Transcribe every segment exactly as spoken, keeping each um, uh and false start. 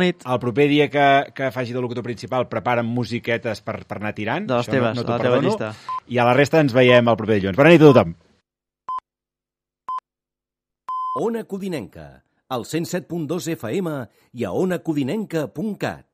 Bona nit. El proper dia que, que faci de locutor principal preparen musiquetes per, per anar tirant. De les Això teves, no, no de t'ho la teva perdono. llista. I a la resta ens veiem el proper dilluns. Bona nit a tothom. Ona Codinenca, al cent set punt dos F M i a ona codinenca punt cat.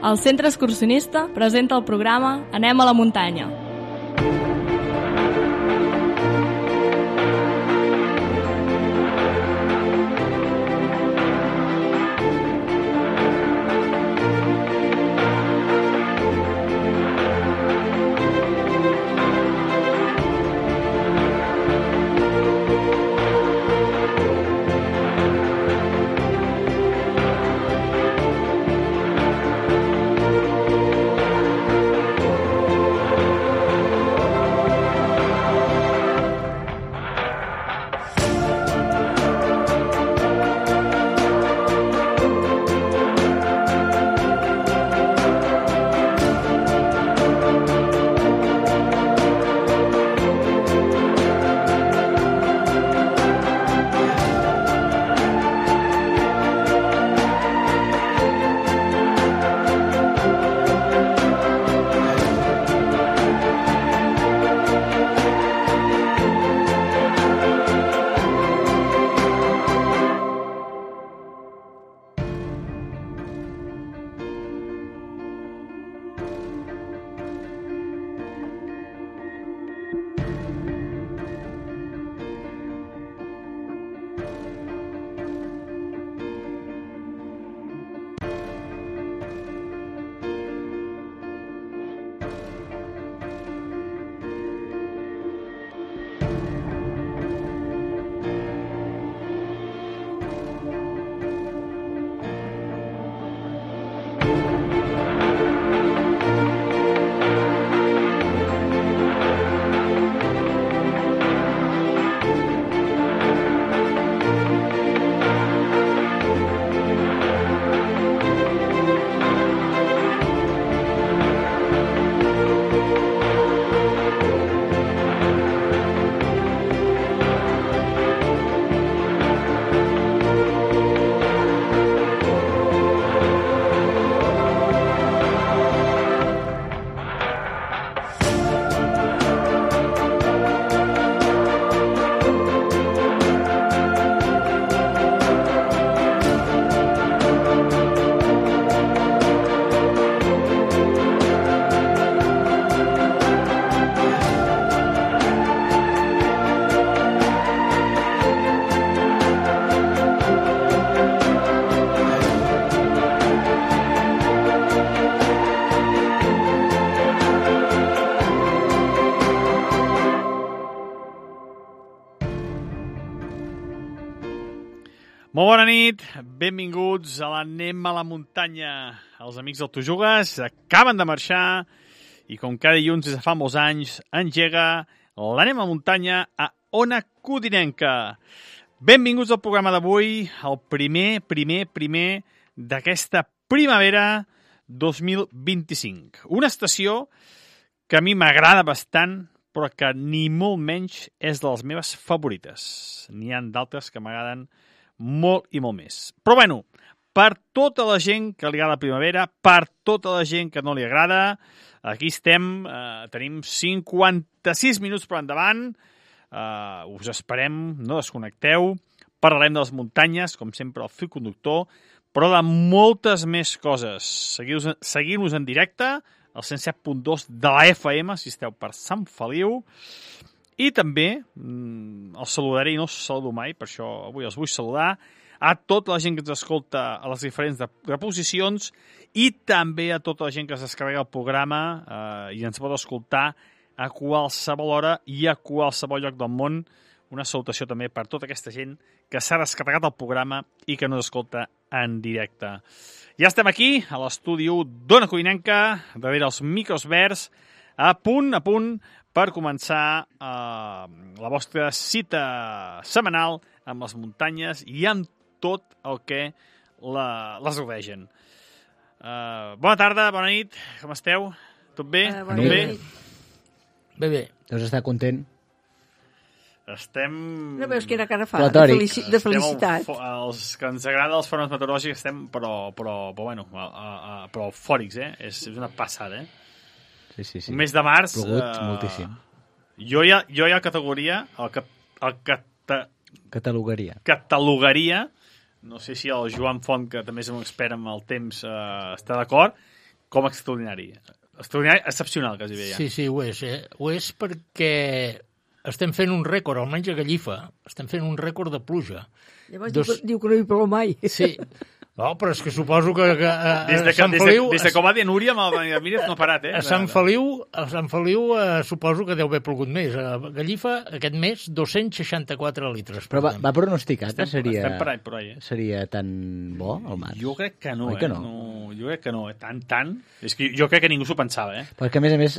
El Centre Excursionista presenta el programa Anem a la muntanya. Molt bona nit, benvinguts a l'Anem a la muntanya. Els amics del Tu Jugues acaben de marxar i com cada dilluns des de fa molts anys engega l'Anem a la muntanya a Ona Codinenca. Benvinguts al programa d'avui, el primer, primer, primer d'aquesta primavera dos mil vint-i-cinc. Una estació que a mi m'agrada bastant, però que ni molt menys és de les meves favorites. N'hi ha d'altres que m'agraden molt i molt més. Però bueno, per tota la gent que li agrada la primavera, per tota la gent que no li agrada, aquí estem, eh, tenim cinquanta-sis minuts per endavant, eh, us esperem, no desconnecteu, parlarem de les muntanyes, com sempre el fil conductor, però de moltes més coses. Seguiu-nos seguiu en directe, al cent set punt dos de la F M, si esteu per Sant Feliu. I també mm, els saludaré i no els saludo mai, per això avui els vull saludar a tota la gent que ens escolta a les diferents reposicions i també a tota la gent que es descarrega el programa eh, i ens pot escoltar a qualsevol hora i a qualsevol lloc del món. Una salutació també per tota aquesta gent que s'ha descarregat el programa i que no escolta en directe. Ja estem aquí, a l'estudi d'Ona Codinenca, darrere els micros verds, a punt, a punt, per començar eh, la vostra cita setmanal amb les muntanyes i amb tot el que la, les rodegen. Uh, bona tarda, bona nit, com esteu? Tot bé? Uh, Tot bé? Bé, bé. Deus estar content? Estem... No veus quina cara fa? De, Platòric. felici de felicitat. Estem, els que ens agrada els fòrums meteorològics estem, però, però, però bueno, a, a, a, però eufòrics, eh? És, és una passada, eh? Sí, sí, sí. Un mes de març... Plogut eh, moltíssim. Jo ja, jo ja categoria, el, que, el cata, Catalogaria. catalogaria, no sé si el Joan Font, que també és un expert amb el temps, eh, està d'acord, com extraordinari. Extraordinari, excepcional, quasi bé ja. Sí, sí, ho és. Eh? Ho és perquè estem fent un rècord, almenys a Gallifa. Estem fent un rècord de pluja. Llavors Dos... diu, que, diu que no hi plou mai. Sí. No, però és que suposo que, que a, Des de, a Sant des, Feliu... de, des de com va dir Núria, amb el Mírez no ha parat, eh? A Sant Feliu, a Sant Feliu eh, suposo que deu haver plogut més. A Gallifa, aquest mes, dos-cents seixanta-quatre litres. Però va, va pronosticar que Estem, seria, estem per ahí, per ahí, eh? seria tan bo el març? Jo crec que no, Oi que eh? no? no? Jo crec que no, eh? Tant, tant. És que jo crec que ningú s'ho pensava, eh? Perquè, a més a més,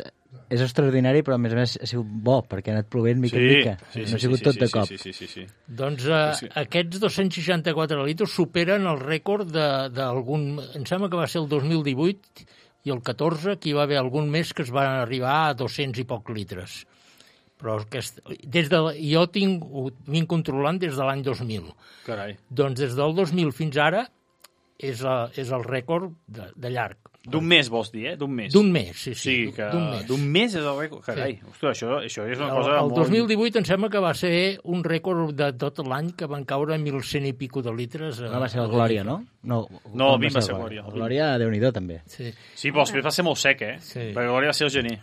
és extraordinari, però a més a més ha sigut bo, perquè ha anat plovent mica en mica. sí, no sí, ha sigut sí, tot sí, de sí, cop. Sí, sí, sí, sí. Doncs eh, Sí. aquests dos-cents seixanta-quatre litres superen el rècord d'algun... Em sembla que va ser el dos mil divuit i el catorze, que hi va haver algun mes que es va arribar a dos-cents i poc litres. Però aquest, des de, jo tinc, ho vinc controlant des de l'any dos mil. Carai. Doncs des del dos mil fins ara és, a, és el rècord de, de llarg. D'un mes, vols dir, eh? D'un mes. D'un mes, sí, sí. Sí, que d'un mes. d'un mes és el rècord. Carai, sí. Ostres, això, això és una El, cosa el molt... dos mil divuit em sembla que va ser un rècord de tot l'any que van caure mil cent i pico de litres. No va ser el Glòria, no? No, No, quan el vint va ser el Glòria. El Glòria, Déu-n'hi-do, també. Sí. Sí, però després va ser molt sec, eh? Sí. Perquè Glòria va ser el gener.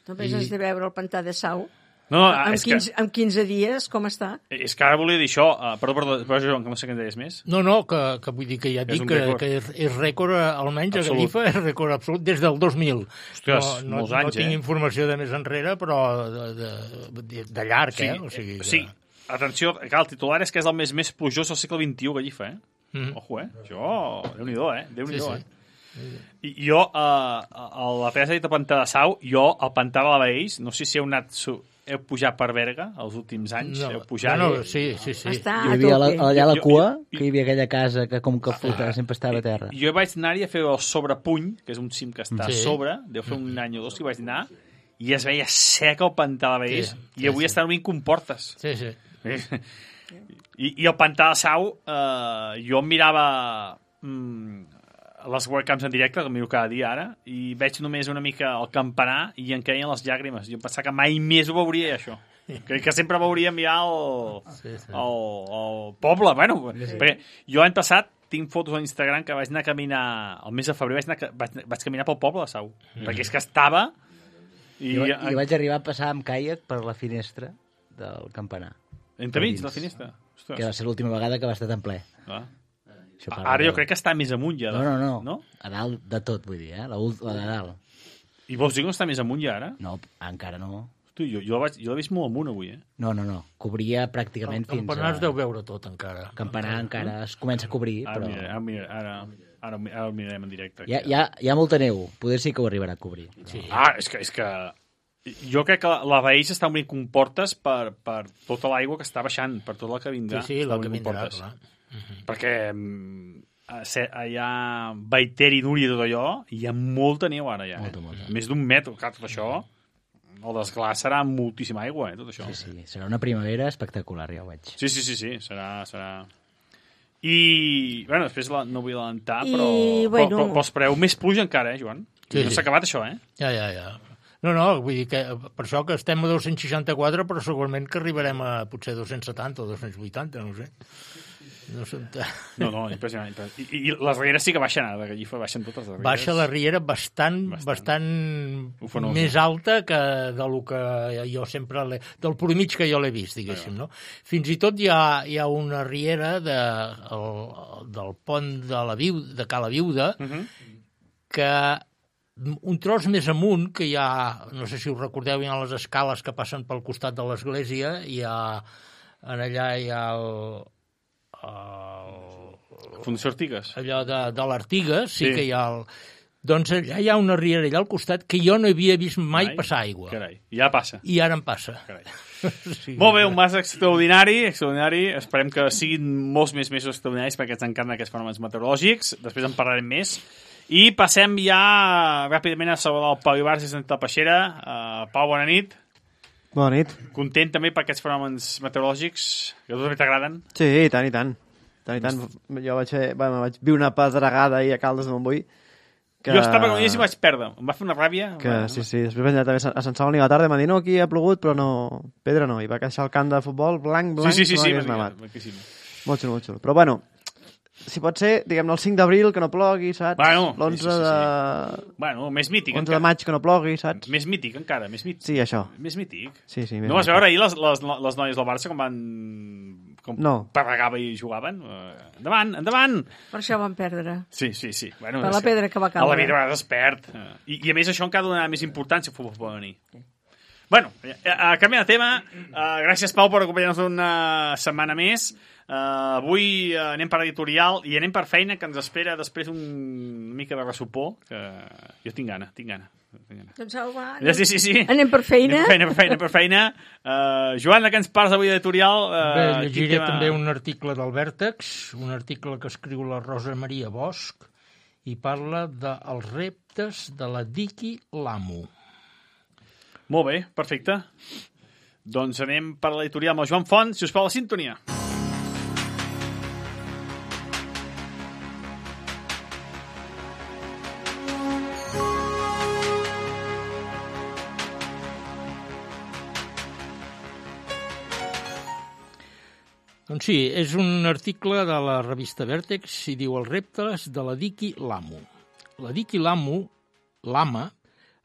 Només has de veure el pantà de Sau. No, no, amb, és quinze, que... amb quinze dies, com està? És que ara volia dir això. Uh, perdó, perdó, perdó, Joan, que no sé què en deies més. No, no, que, que vull dir que ja et És dic un que, rècord. que és, és rècord, eh, almenys a Absolut. Gallifa, és rècord absolut des del dos mil. Ostres, no, no, molts no anys, tinc eh? informació de més enrere, però de, de, de, de llarg, Sí, eh? O sigui que... sí. Atenció, clar, el titular és que és el mes més plujós del segle vint-i-u, Gallifa, eh? Mhm. Ojo, eh? Això, Déu-n'hi-do, eh? Déu-n'hi-do, Sí, sí. eh? I jo, eh, a la Teresa ha dit el pantà de Sau, jo, el pantà de la Baells, no sé si heu anat... Su heu pujat per Berga els últims anys? No, heu pujat... no, no, sí, sí, sí. Està Hi a havia la, tope. allà a la Jo- cua, jo- que hi havia aquella casa que com que flotava, sempre estava a terra. Jo vaig anar-hi a fer el sobrepuny, que és un cim que està Sí. a sobre, deu fer un any o dos que hi vaig anar, i es veia sec el pantà de Baells, Sí, i sí, avui sí. estan obrint comportes. Sí, sí. I, I el pantà de Sau, eh, jo em mirava mm, les webcams en directe, que miro cada dia ara, i veig només una mica el campanar i em queien les llàgrimes. Jo em pensava que mai més ho veuria, això. Que, que sempre veuríem ja el, Sí, sí. el, el poble. Bueno, sí. Perquè jo l'any passat tinc fotos a Instagram que vaig anar a caminar, el mes de febrer vaig, anar, vaig, vaig caminar pel poble de Sau, mm. perquè és que estava... I, I, I vaig arribar a passar amb caiac per la finestra del campanar. entremig de la finestra. Que Ostres. va ser l'última vegada que va estar tan ple. Ah. Això parla Ara jo de- crec que està més amunt ja. No, no, no, no? A dalt de tot, vull dir, eh? La, ult- la de dalt. I vols dir que no està més amunt ja ara? No, encara no. Hosti, jo, jo, vaig, jo l'he vist molt amunt avui, eh? No, no, no. Cobria pràcticament El fins campanar a... es deu veure tot, encara. Campanar encara es comença a cobrir, Ara, però... mira, ara, mira, ara, ara, ara el mirarem en directe. Hi ha, hi, ha, hi ha molta neu. Poder sí que ho arribarà a cobrir. Sí. Ah, és que, és que jo crec que la, la Baells està obrint comportes per, per tota l'aigua que està baixant, per tot el que vindrà. Sí, sí, està el que obrint vindrà, comportes. clar. Perquè mm, a se- allà Baiter i Núria i tot allò, hi ha molta neu ara ja. Molta, eh? molta. Més d'un metre, clar, tot això, el desglàs serà moltíssima aigua, eh, tot això. Sí, sí. Serà una primavera espectacular, ja ho veig. Sí, sí, sí, sí, serà... serà... I, bueno, després la, no vull adelantar, I, però, bueno- però, però, però espereu més pluja encara, eh, Joan? Sí, no sí. s'ha acabat això, eh? Ja, ja, ja. No, no, vull dir que per això que estem a dos-cents seixanta-quatre, però segurament que arribarem a potser dos-cents setanta o dos-cents vuitanta, no ho sé. No sé. No, no, impressionant. impressionant. I, I les rieres sí que baixen, ara, de Gallifa baixen totes les rieres. Baixa la riera bastant, Bastant. bastant, Ufanosa. més alta que de lo que jo sempre l'he... del promig que jo l'he vist, diguéssim, no? Fins i tot hi ha, hi ha una riera de, el, del pont de, la Viu, de Cala Viuda Uh -huh. que un tros més amunt, que hi ha, no sé si us recordeu, hi ha les escales que passen pel costat de l'església, hi ha, en allà hi ha el, el, Fundació Artigues. allò de, de l'Artiga, sí, Sí. que hi ha el... Doncs allà hi ha una riera allà al costat que jo no havia vist mai, Mai? passar aigua. Carai, ja passa. I ara em passa. Carai. Sí. Molt bé, un mas extraordinari, extraordinari. Esperem que siguin molts més mesos extraordinaris perquè ens encanten aquests fenòmens meteorològics. Després en parlarem més. I passem ja ràpidament a saludar el Pau Ibarz i Santa Peixera. Uh, Pau, bona nit. Bona nit. Content també per aquests fenòmens meteorològics que a tu també t'agraden? Sí, i tant, i tant. tant, i tant. Jo vaig, fer, bueno, vaig viure una pedregada ahir a Caldes de Montbui. Que... Jo estava con ells i vaig perdre. Em va fer una ràbia. Que, sí, sí. Després vaig anar també a Sant Saloni a la tarda i m'han dit, no, aquí ha plogut, però no... Pedra no. I va queixar el camp de futbol blanc, blanc, sí, sí, sí, no sí, hagués sí, nevat. sí. Molt xulo, molt xulo. Però bueno, si pot ser, diguem-ne, el cinc d'abril que no plogui, saps? Bueno, l'onze sí, sí, sí, de... sí. Bueno, més mític onze encara. de maig que no plogui, saps? Més mític encara, més mític. Sí, això. Més mític. Sí, sí, més no vas mític. veure ahir les, les, les noies del Barça com van... com No. parregava i jugaven? Uh, endavant, endavant! Per això van perdre. Sí, sí, sí. Bueno, Per és la pedra que va A la caure. vida a vegades es perd. Uh, i, I a més això encara ha de donar més importància al futbol femení. Bueno, a, a canvi de tema, uh, gràcies Pau per acompanyar-nos una setmana més. Uh, avui uh, anem per editorial i anem per feina que ens espera després un, una mica de ressupor, que jo tinc gana, tinc gana. Tinc gana. Doncs au, va, Ja, sí, sí, sí. anem per feina. Anem per feina, per feina, per feina. Uh, Joan, de què ens parles avui d'editorial? Uh, Bé, llegiré tema... també un article del Vèrtex, un article que escriu la Rosa Maria Bosch i parla dels reptes de la Diqui L'Amo. Molt bé, perfecte. Doncs anem per l'editorial amb el Joan Font, si us plau, la sintonia. Doncs sí, és un article de la revista Vèrtex i diu els reptes de la Diqui L'Amo. La Diqui L'Amo, l'ama,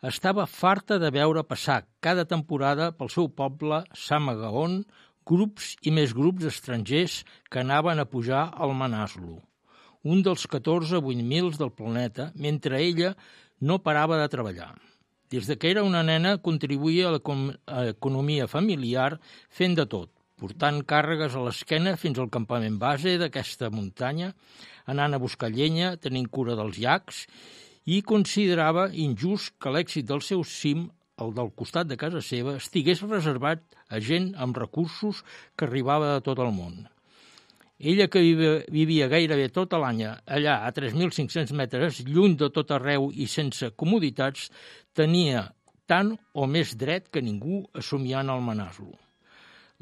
estava farta de veure passar cada temporada pel seu poble, Samagaon, grups i més grups estrangers que anaven a pujar al Manaslu, un dels catorze vuit mils del planeta, mentre ella no parava de treballar. Des de que era una nena contribuïa a l'economia familiar fent de tot, portant càrregues a l'esquena fins al campament base d'aquesta muntanya, anant a buscar llenya, tenint cura dels llacs, i considerava injust que l'èxit del seu cim, el del costat de casa seva, estigués reservat a gent amb recursos que arribava de tot el món. Ella, que vivia gairebé tot l'any allà a tres mil cinc-cents metres, lluny de tot arreu i sense comoditats, tenia tant o més dret que ningú a somiar en el Manaslu.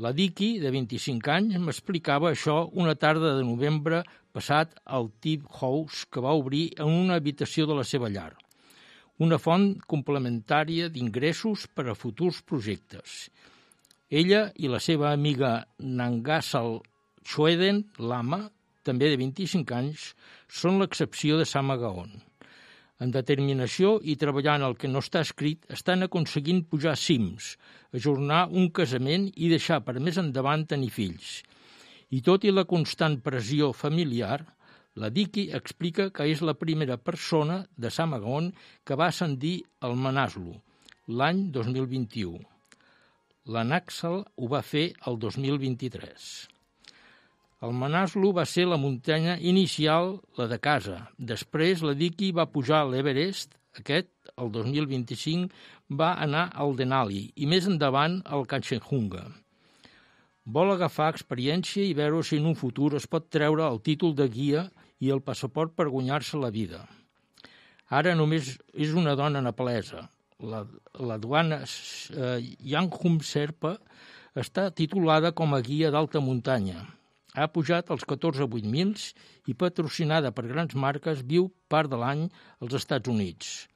La Diqui, de vint-i-cinc anys, m'explicava això una tarda de novembre passat al Tip House que va obrir en una habitació de la seva llar. Una font complementària d'ingressos per a futurs projectes. Ella i la seva amiga Nangasal Schweden, l'ama, també de vint-i-cinc anys, són l'excepció de Samagaon. En determinació i treballant el que no està escrit, estan aconseguint pujar cims, ajornar un casament i deixar per més endavant tenir fills. I tot i la constant pressió familiar, la Diqui explica que és la primera persona de Samagaon que va ascendir al Manaslu l'any dos mil vint-i-u. La Naxal ho va fer el dos mil vint-i-tres. El Manaslu va ser la muntanya inicial, la de casa. Després la Diqui va pujar a l'Everest, aquest, el dos mil vint-i-cinc, va anar al Denali i més endavant al Kanchenjunga. Vol agafar experiència i veure si en un futur es pot treure el títol de guia i el passaport per guanyar-se la vida. Ara només és una dona nepalesa. La, la duana eh, Yanghum Serpa està titulada com a guia d'alta muntanya. Ha pujat als catorze vuit mils i, patrocinada per grans marques, viu part de l'any als Estats Units.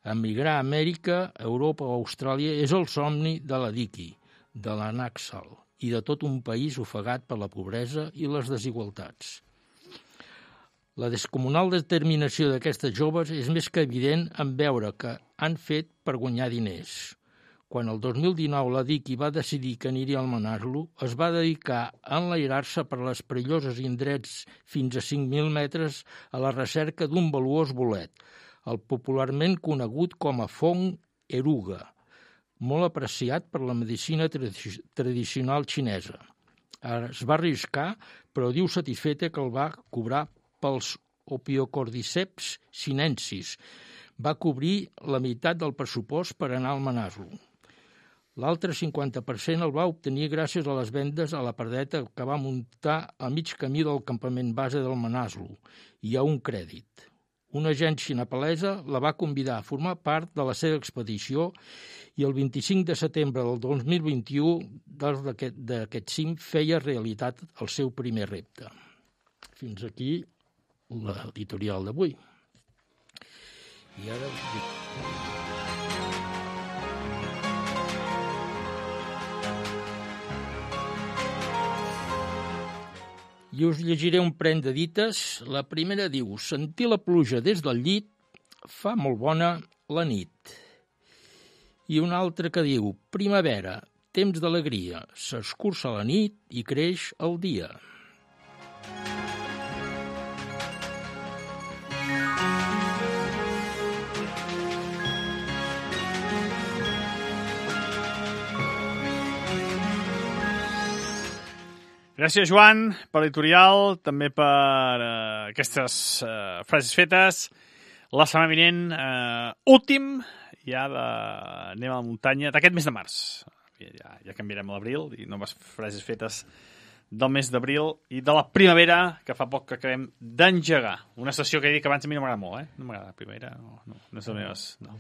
Emigrar a Amèrica, Europa o Austràlia és el somni de la Diqui, de la Naxal i de tot un país ofegat per la pobresa i les desigualtats. La descomunal determinació d'aquestes joves és més que evident en veure que han fet per guanyar diners. Quan el dos mil dinou la Diqui va decidir que aniria al Manaslu, es va dedicar a enlairar-se per les perilloses indrets fins a cinc mil metres a la recerca d'un valuós bolet, el popularment conegut com a fong eruga, molt apreciat per la medicina tradi- tradicional xinesa. Es va arriscar, però diu satisfeta que el va cobrar pels Ophiocordyceps sinensis. Va cobrir la meitat del pressupost per anar al Manaslu. L'altre cinquanta per cent el va obtenir gràcies a les vendes a la pardeta que va muntar a mig camí del campament base del Manaslu i a un crèdit. Una agència nepalesa la va convidar a formar part de la seva expedició i el vint-i-cinc de setembre del dos mil vint-i-u d'aquest cim feia realitat el seu primer repte. Fins aquí l'editorial d'avui. I ara... I us llegiré un parell de dites. La primera diu: sentir la pluja des del llit fa molt bona la nit. I una altra que diu: primavera, temps d'alegria, s'escurça la nit i creix el dia. Gràcies, Joan, per l'editorial, també per uh, aquestes uh, frases fetes. La setmana vinent, uh, últim, ja de... anem a la muntanya, d'aquest mes de març. Ja, ja canviarem a l'abril i noves frases fetes del mes d'abril i de la primavera, que fa poc que acabem d'engegar. Una sessió que he dit que abans a mi no m'agrada molt, eh? No m'agrada la primavera, no, no, no és de les meves... No.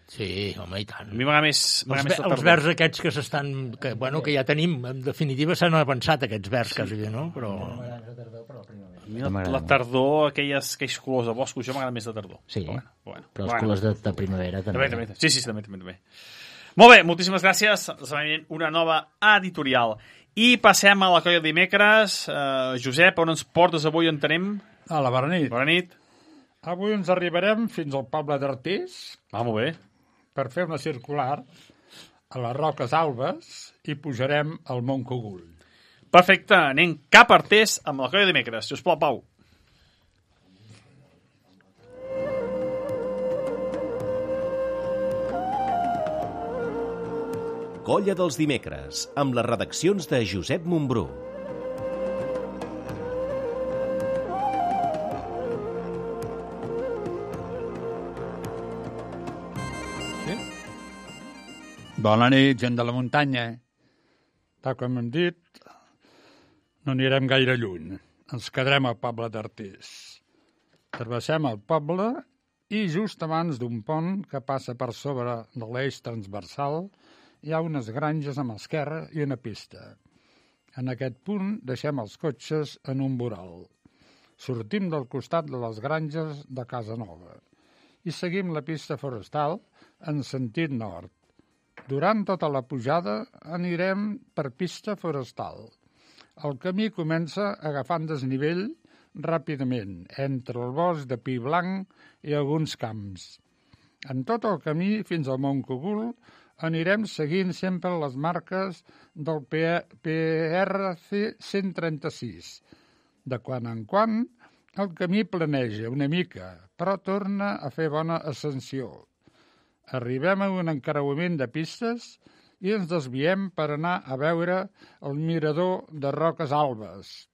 Sí, home, i tant. A mi m'agrada més, Els, més els vers aquests que s'estan... Que, bueno, que ja tenim, en definitiva s'han avançat aquests vers, sí. Quasi, no? Però... A mi la, la tardor, aquelles, aquells colors de boscos, jo m'agrada més la tardor. Sí, però, bueno, bueno, però els bueno. colors de, de primavera també. També, també. Sí, sí, també, també, també. Molt bé, moltíssimes gràcies. Una nova editorial. I passem a la colla de dimecres. Uh, Josep, on ens portes avui, on tenim? A la bona nit. Bona nit. Avui ens arribarem fins al poble d'Artés. Ah, molt bé. Per fer una circular a les Roques Albes i pujarem al Mont Cogul. Perfecte, anem cap a Artés amb la colla de dimecres. Si us plau, Pau. Colla dels dimecres, amb les redaccions de Josep Montbrú. Sí? Bona nit, gent de la muntanya. Tal com hem dit, no anirem gaire lluny. Ens quedarem al poble d'Artés. Travessem el poble i just abans d'un pont que passa per sobre de l'eix transversal hi ha unes granges a mà esquerra i una pista. En aquest punt deixem els cotxes en un voral. Sortim del costat de les granges de Casa Nova i seguim la pista forestal en sentit nord. Durant tota la pujada anirem per pista forestal. El camí comença agafant desnivell ràpidament entre el bosc de pi blanc i alguns camps. En tot el camí fins al Mont Cogul anirem seguint sempre les marques del P R C cent trenta-sis. De quan en quan, el camí planeja una mica, però torna a fer bona ascensió. Arribem a un encreuament de pistes i ens desviem per anar a veure el mirador de Roques Albes.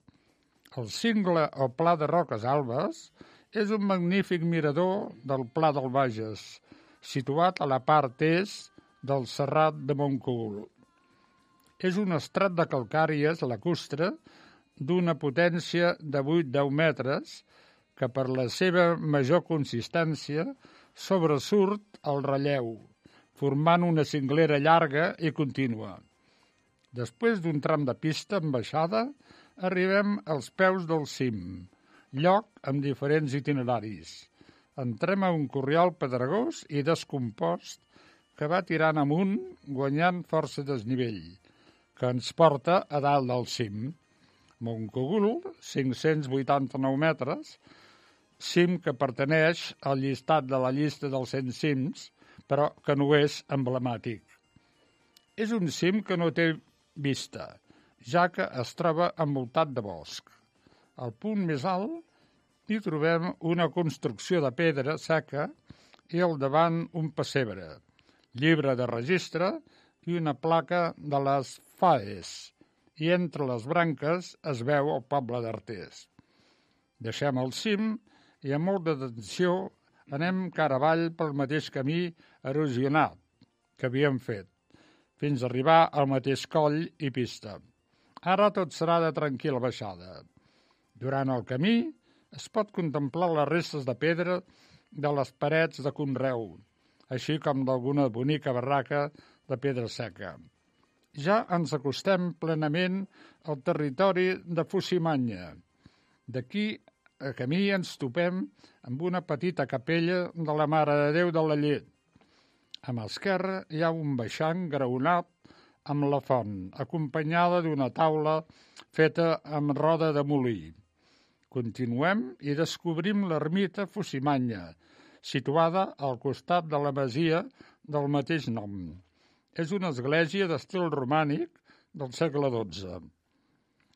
El cingle o Pla de Roques Albes és un magnífic mirador del Pla del Bages, situat a la part est del Serrat de Montcogul. És un estrat de calcàries lacustre d'una potència de vuit a deu metres que per la seva major consistència sobresurt el relleu, formant una cinglera llarga i contínua. Després d'un tram de pista amb baixada, arribem als peus del cim, lloc amb diferents itineraris. Entrem a un corriol pedregós i descompost que va tirant amunt, guanyant força desnivell, que ens porta a dalt del cim. Montcogul, cinc-cents vuitanta-nou metres, cim que pertaneix al llistat de la llista dels cent cims, però que no és emblemàtic. És un cim que no té vista, ja que es troba envoltat de bosc. Al punt més alt hi trobem una construcció de pedra seca i al davant un pessebre, llibre de registre i una placa de les F A E S, i entre les branques es veu el poble d'Artés. Deixem el cim i amb molta atenció anem cara avall pel mateix camí erosionat que havíem fet, fins a arribar al mateix coll i pista. Ara tot serà de tranquil·la baixada. Durant el camí es pot contemplar les restes de pedra de les parets de conreu, així com d'alguna bonica barraca de pedra seca. Ja ens acostem plenament al territori de Fusimanya. D'aquí a camí ens topem amb una petita capella de la Mare de Déu de la Llet. A mà esquerra hi ha un baixant graonat amb la font, acompanyada d'una taula feta amb roda de molí. Continuem i descobrim l'ermita Fusimanya, situada al costat de la masia del mateix nom. És una església d'estil romànic del segle dotze.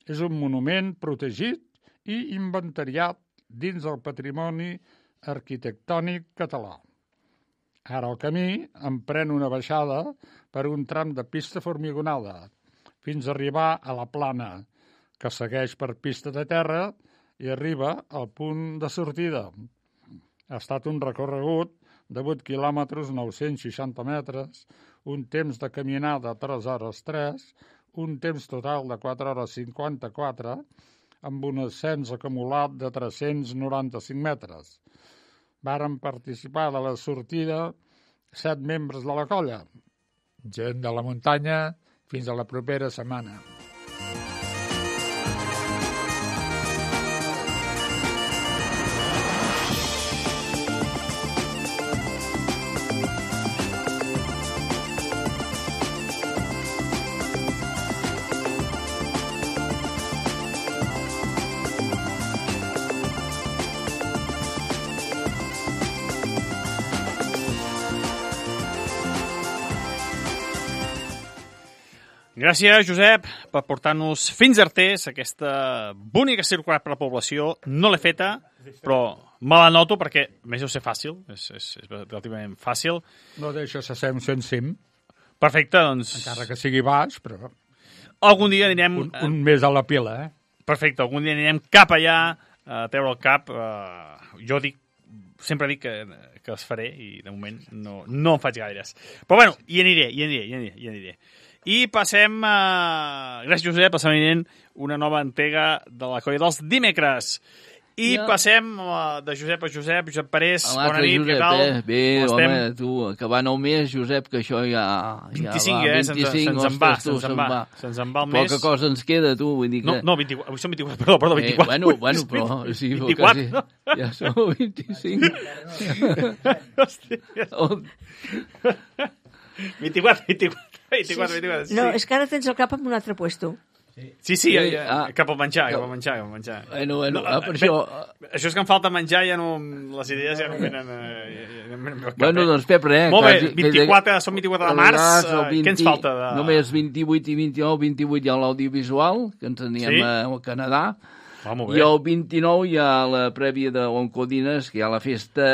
És un monument protegit i inventariat dins del patrimoni arquitectònic català. Ara el camí emprèn una baixada per un tram de pista formigonada, fins a arribar a la plana, que segueix per pista de terra i arriba al punt de sortida. Ha estat un recorregut de vuit quilòmetres, nou-cents seixanta metres, un temps de caminada de tres hores tres, un temps total de quatre hores cinquanta-quatre, amb un ascens acumulat de tres-cents noranta-cinc metres. Varen participar de la sortida set membres de la colla. Gent de la muntanya, fins a la propera setmana. Gràcies, Josep, per portar-nos fins a Artés, aquesta bonica circular per la població. No l'he feta, però me la noto perquè, a més, deu ser fàcil, és, és, és relativament fàcil. No deixa ser un cent cim. Perfecte, doncs... Encara que sigui baix, però... Algun dia anirem... Un, un més a la pila, eh? Perfecte, algun dia anirem cap allà a treure el cap. Uh, jo dic, sempre dic que, que els faré i, de moment, no, no en faig gaires. Però, bueno, hi aniré, hi aniré, hi aniré, hi aniré. I passem, uh, gràcies Josep, passem venint una nova entrega de la colla dels dimecres. I ja. passem uh, de Josep a Josep, Josep Parés, bona nit, Josep, què tal? Eh? Bé, home, tu, acabant el mes, Josep, que això ja, ja vint-i-cinc, va, eh? vint-i-cinc, se'ns en va, ostres, tu, se'ns en va, se'ns en va el mes. Poca cosa ens queda, tu, vull dir que... No, no, vint-i-quatre, avui són vint-i-quatre, perdó, perdó, vint-i-quatre. Eh, bueno, bueno, però... Sí, vint-i-quatre, quasi, no? Ja som vint-i-cinc. Hòstia. vint-i-quatre, vint-i-quatre. vint-i-quatre, vint-i-quatre, sí. No, és que ara tens el cap en un altre puesto. Sí, sí, ja, ja, ah, cap al menjar, cap al menjar, cap al menjar. Bueno, bueno, no, ah, per bé, això... Això és que em falta menjar, ja no... Les idees ja no venen... Eh, ja, ja no cap, bueno, doncs, Pep, res... Molt bé, vint-i-quatre, som vint-i-quatre de març, eh, vint, què ens falta? De... Només vint-i-vuit i vint-i-nou, vint-i-vuit hi ha l'audiovisual, que ens aníem sí? al Canadà, ah, i el vint-i-nou hi ha la prèvia d'Oncodines, que hi ha la festa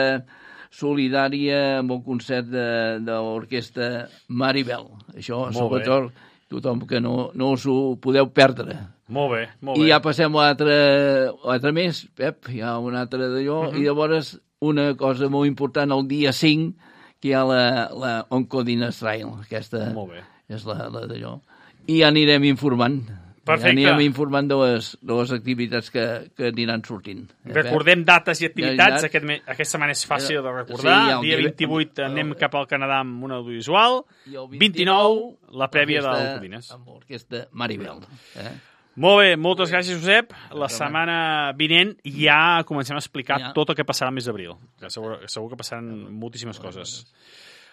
solidària amb un concert de, de l'orquestra Maribel. Això, molt sobretot, bé. Tothom que no, no us ho podeu perdre. Molt bé, molt I bé. ja passem a l'altre mes, Pep, hi ha un altre d'allò, uh -huh. i llavors una cosa molt important, el dia cinc, que hi ha la, la Oncodines Trail, aquesta molt bé. És la, la d'allò. I ja anirem informant. Perfecte. Ja anirem informant de les, de les activitats que, que aniran sortint. Recordem dates i activitats. Ja, Aquest, aquesta setmana és fàcil de recordar. Sí, dia vint-i-vuit anem cap al Canadà amb un audiovisual. vint-i-nou, la prèvia de l'Oncodines. Amb l'orquestra Maribel. Eh? Molt bé, moltes gràcies, Josep. La setmana vinent ja comencem a explicar ja. tot el que passarà al mes d'abril. Segur, segur que passaran moltíssimes coses.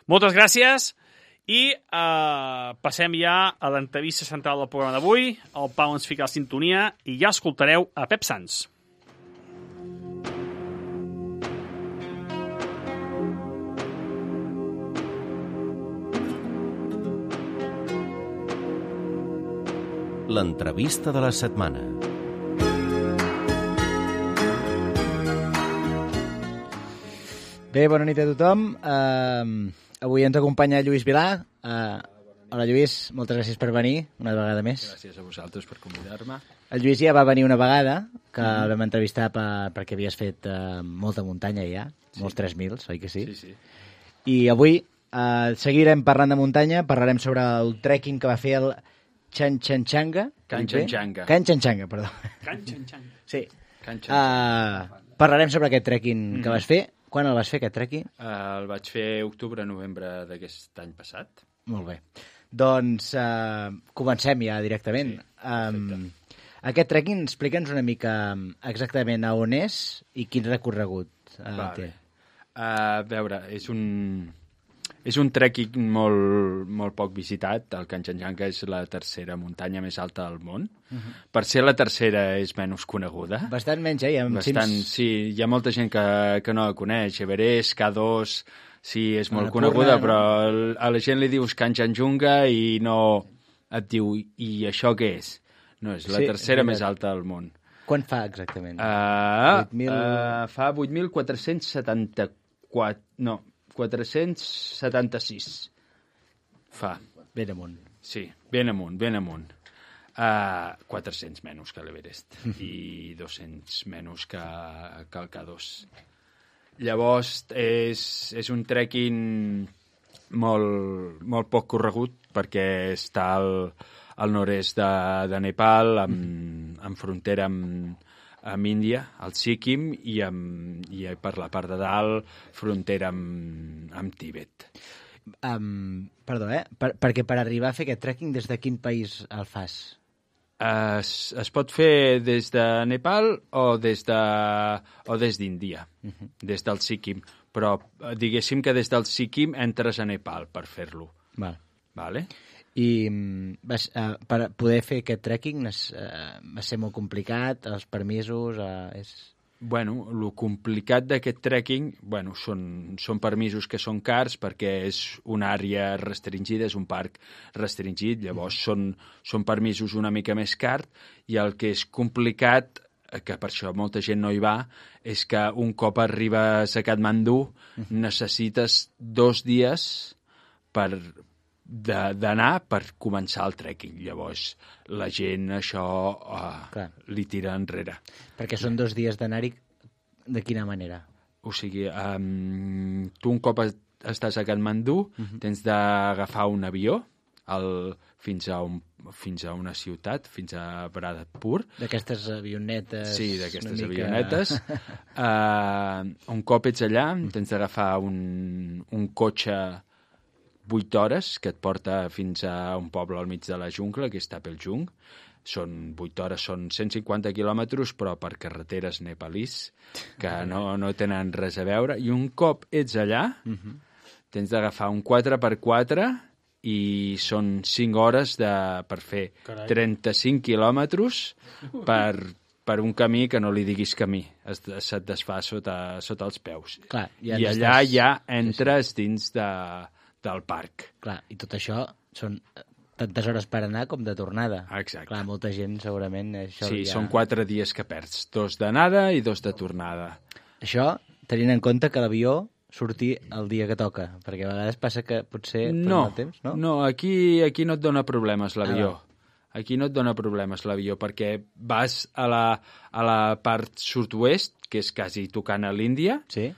Moltes gràcies. I eh, passem ja a l'entrevista central del programa d'avui. El Pau ens fica la sintonia i ja escoltareu a Pep Sans. L'entrevista de la setmana. Bé, bona nit a tothom. Uh, avui ens acompanya Lluís Vilà. Uh, hola, Lluís, moltes gràcies per venir una vegada més. Gràcies a vosaltres per convidar-me. El Lluís ja va venir una vegada, que mm. el vam entrevistar per, perquè havies fet uh, molta muntanya ja, sí. molts tres mil, oi que sí? Sí, sí. I avui uh, seguirem parlant de muntanya, parlarem sobre el trekking que va fer el Kanchenjunga. Kanchenjunga. Kanchenjunga, perdó. Kanchenjunga. Sí. Uh, parlarem sobre aquest trekking Mm. que vas fer. Quan el vas fer, aquest trekking? Uh, el vaig fer octubre-novembre d'aquest any passat. Molt bé. Doncs uh, comencem ja directament. Sí, um, aquest trekking, explica'ns una mica exactament a on és i quin recorregut uh, vale. té. A uh, veure, és un... És un trekking molt, molt poc visitat. El Kanchenjunga és la tercera muntanya més alta del món. Uh -huh. Per ser la tercera és menys coneguda. Bastant menys, eh? Hi ha Bastant, cims... sí, hi ha molta gent que, que no la coneix. Everest, K dos, sí, és molt Annapurna, coneguda, no? però a la gent li dius Kanchenjunga i no et diu, i això què és? No, és la Sí, tercera és més alta del món. Quan fa exactament? Uh, vuit mil... uh, fa vuit mil quatre-cents setanta-quatre... No, quatre-cents setanta-sis. Fa. Ben amunt. Sí, ben amunt, ben amunt. Uh, quatre-cents menys que l'Everest i dos-cents menys que, que el K dos. Llavors, és, és un trekking molt, molt poc corregut perquè està al, al nord-est de, de Nepal, amb, amb frontera amb, amb Índia, al Sikkim, i, amb, i per la part de dalt, frontera amb, amb Tibet. Um, perdó, eh? Per, perquè per arribar a fer aquest trekking, des de quin país el fas? Es, es pot fer des de Nepal o des de, o des d'Índia, uh -huh. des del Sikkim. Però diguéssim que des del Sikkim entres a Nepal per fer-lo. Val. Vale? I vas, uh, per poder fer aquest trekking es, uh, va ser molt complicat, els permisos... Uh, és... Bueno, el complicat d'aquest trekking, bueno, són, són permisos que són cars perquè és una àrea restringida, és un parc restringit, llavors mm. són, són permisos una mica més cars, i el que és complicat, que per això molta gent no hi va, és que un cop arribes a Katmandú mm. necessites dos dies per d'anar per començar el trekking. Llavors, la gent això uh, li tira enrere. Perquè són dos dies d'anar-hi de quina manera? O sigui, um, tu un cop estàs a Katmandú, uh -huh. tens d'agafar un avió el, fins, a un, fins a una ciutat, fins a Bharatpur. D'aquestes avionetes... Sí, d'aquestes mica... avionetes. uh, un cop ets allà, tens d'agafar un, un cotxe vuit hores, que et porta fins a un poble al mig de la jungla, que és Tapeljung. Són vuit hores, són cent cinquanta quilòmetres, però per carreteres nepalís, que no, no tenen res a veure. I un cop ets allà, uh -huh. tens d'agafar un quatre per quatre i són cinc hores de, per fer Carai. trenta-cinc quilòmetres per, per un camí que no li diguis camí. Es, se't desfà sota, sota els peus. Clar, ja I allà ja entres dins de... del parc. Clar, i tot això són tantes hores per anar com de tornada. Exacte. Clar, molta gent segurament... Això sí, ja... són quatre dies que perds. Dos d'anada i dos de tornada. Això tenint en compte que l'avió surti el dia que toca, perquè a vegades passa que potser no, el temps, no? No, aquí, aquí no et dona problemes l'avió. Ah, aquí no et dona problemes l'avió, perquè vas a la, a la part sud-oest, que és quasi tocant a l'Índia, sí?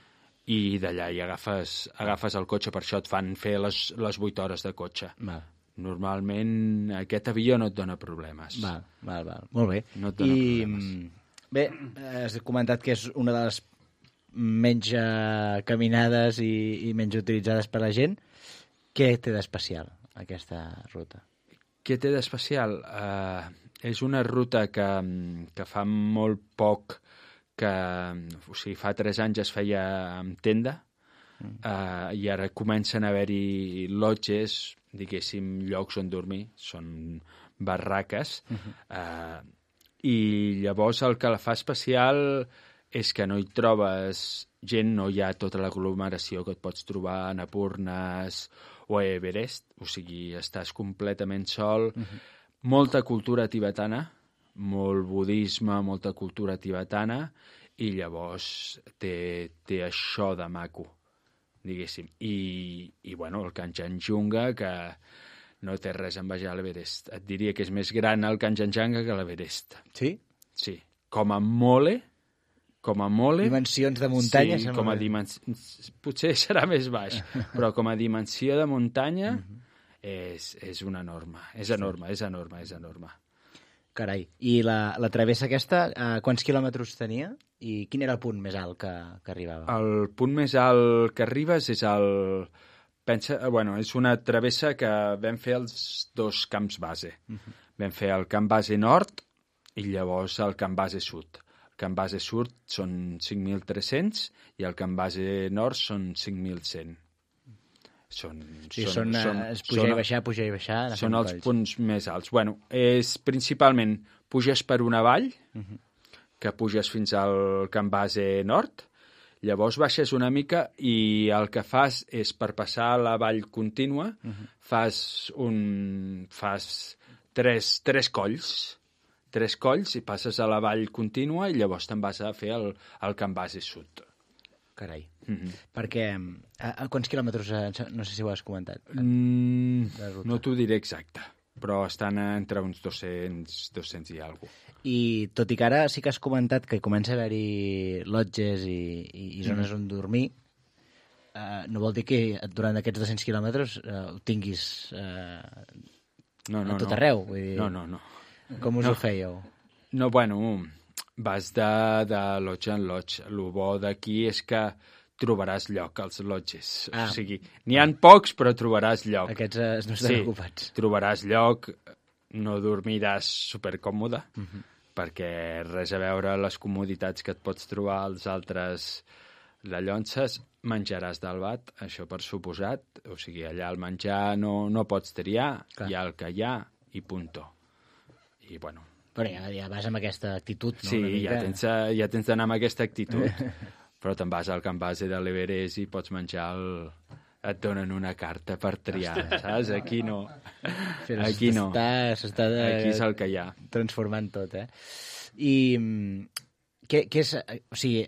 i d'allà hi agafes, agafes el cotxe, per això et fan fer les, les vuit hores de cotxe. Val. Normalment aquest avió no et dona problemes. Val, val, val. Molt bé. No et dona I, problemes. Bé, has comentat que és una de les menys uh, caminades i, i menys utilitzades per la gent. Què té d'especial aquesta ruta? Què té d'especial? Uh, és una ruta que, que fa molt poc que, o sigui, fa tres anys es feia amb tenda, mm. uh, i ara comencen a haver-hi lodges, diguéssim, llocs on dormir, són barraques, uh-huh. uh, i llavors el que la fa especial és que no hi trobes gent, no hi ha tota l'aglomeració que et pots trobar a Annapurnes o a Everest, o sigui, estàs completament sol, uh-huh. molta cultura tibetana, molt budisme, molta cultura tibetana, i llavors té, té això de maco, diguéssim. I, i bueno, el Kanchenjunga, que no té res a envejar a l'Everest. Et diria que és més gran el Kanchenjunga que l'Everest. Sí? Sí. Com a mole, com a mole... Dimensions de muntanya? Sí, com a dimensions... Potser serà més baix, però com a dimensió de muntanya uh-huh. és, és una norma. És enorme, és enorme, és enorme. Carai. I la, la travessa aquesta, eh, quants quilòmetres tenia? I quin era el punt més alt que, que arribava? El punt més alt que arribes és el... Pensa, bueno, és una travessa que vam fer els dos camps base. Uh-huh. Vam fer el camp base nord i llavors el camp base sud. El camp base sud són cinc mil tres-cents i el camp base nord són cinc mil cent. Són, sí, són, són, són, és pujar són, i baixar, pujar i baixar. Són els punts més alts. Bueno, és principalment puges per una vall, uh-huh. que puges fins al camp base nord, llavors baixes una mica i el que fas és, per passar a la vall contínua, uh-huh. fas, un, fas tres, tres colls, tres colls i passes a la vall contínua i llavors te'n vas a fer el, el camp base sud. Carai. Mm-hmm. Perquè, a, a quants quilòmetres, no sé si ho has comentat? Mm, no t'ho diré exacte, però estan entre uns dos-cents, dos-cents i alguna cosa. I tot i que ara sí que has comentat que comença a haver-hi lodges i, i, i zones mm. on dormir, eh, no vol dir que durant aquests dos-cents quilòmetres eh, ho tinguis eh, no, no, a tot no. arreu. Vull dir, no, no, no. Com us no. ho fèieu? No, bueno... Vas de, de lodge en lodge. El bo d'aquí és que trobaràs lloc als lodges. Ah. O sigui, n'hi ha pocs, però trobaràs lloc. Aquests eh, no estan sí, ocupats. Trobaràs lloc, no dormiràs supercòmode, uh-huh. perquè res a veure les comoditats que et pots trobar als altres llonses. Menjaràs del bat, això per suposat. O sigui, allà el menjar no, no pots triar, Clar. Hi ha el que hi ha i punto. I, bueno... Però ja, ja vas amb aquesta actitud, no? Sí, ja tens, ja tens d'anar amb aquesta actitud. Però te'n vas al camp base de l'Everest i pots menjar el... Et donen una carta per triar, saps? Aquí no. Però Aquí no. S'està Aquí és el que hi ha. Transformant tot, eh? I què, què és... O sigui,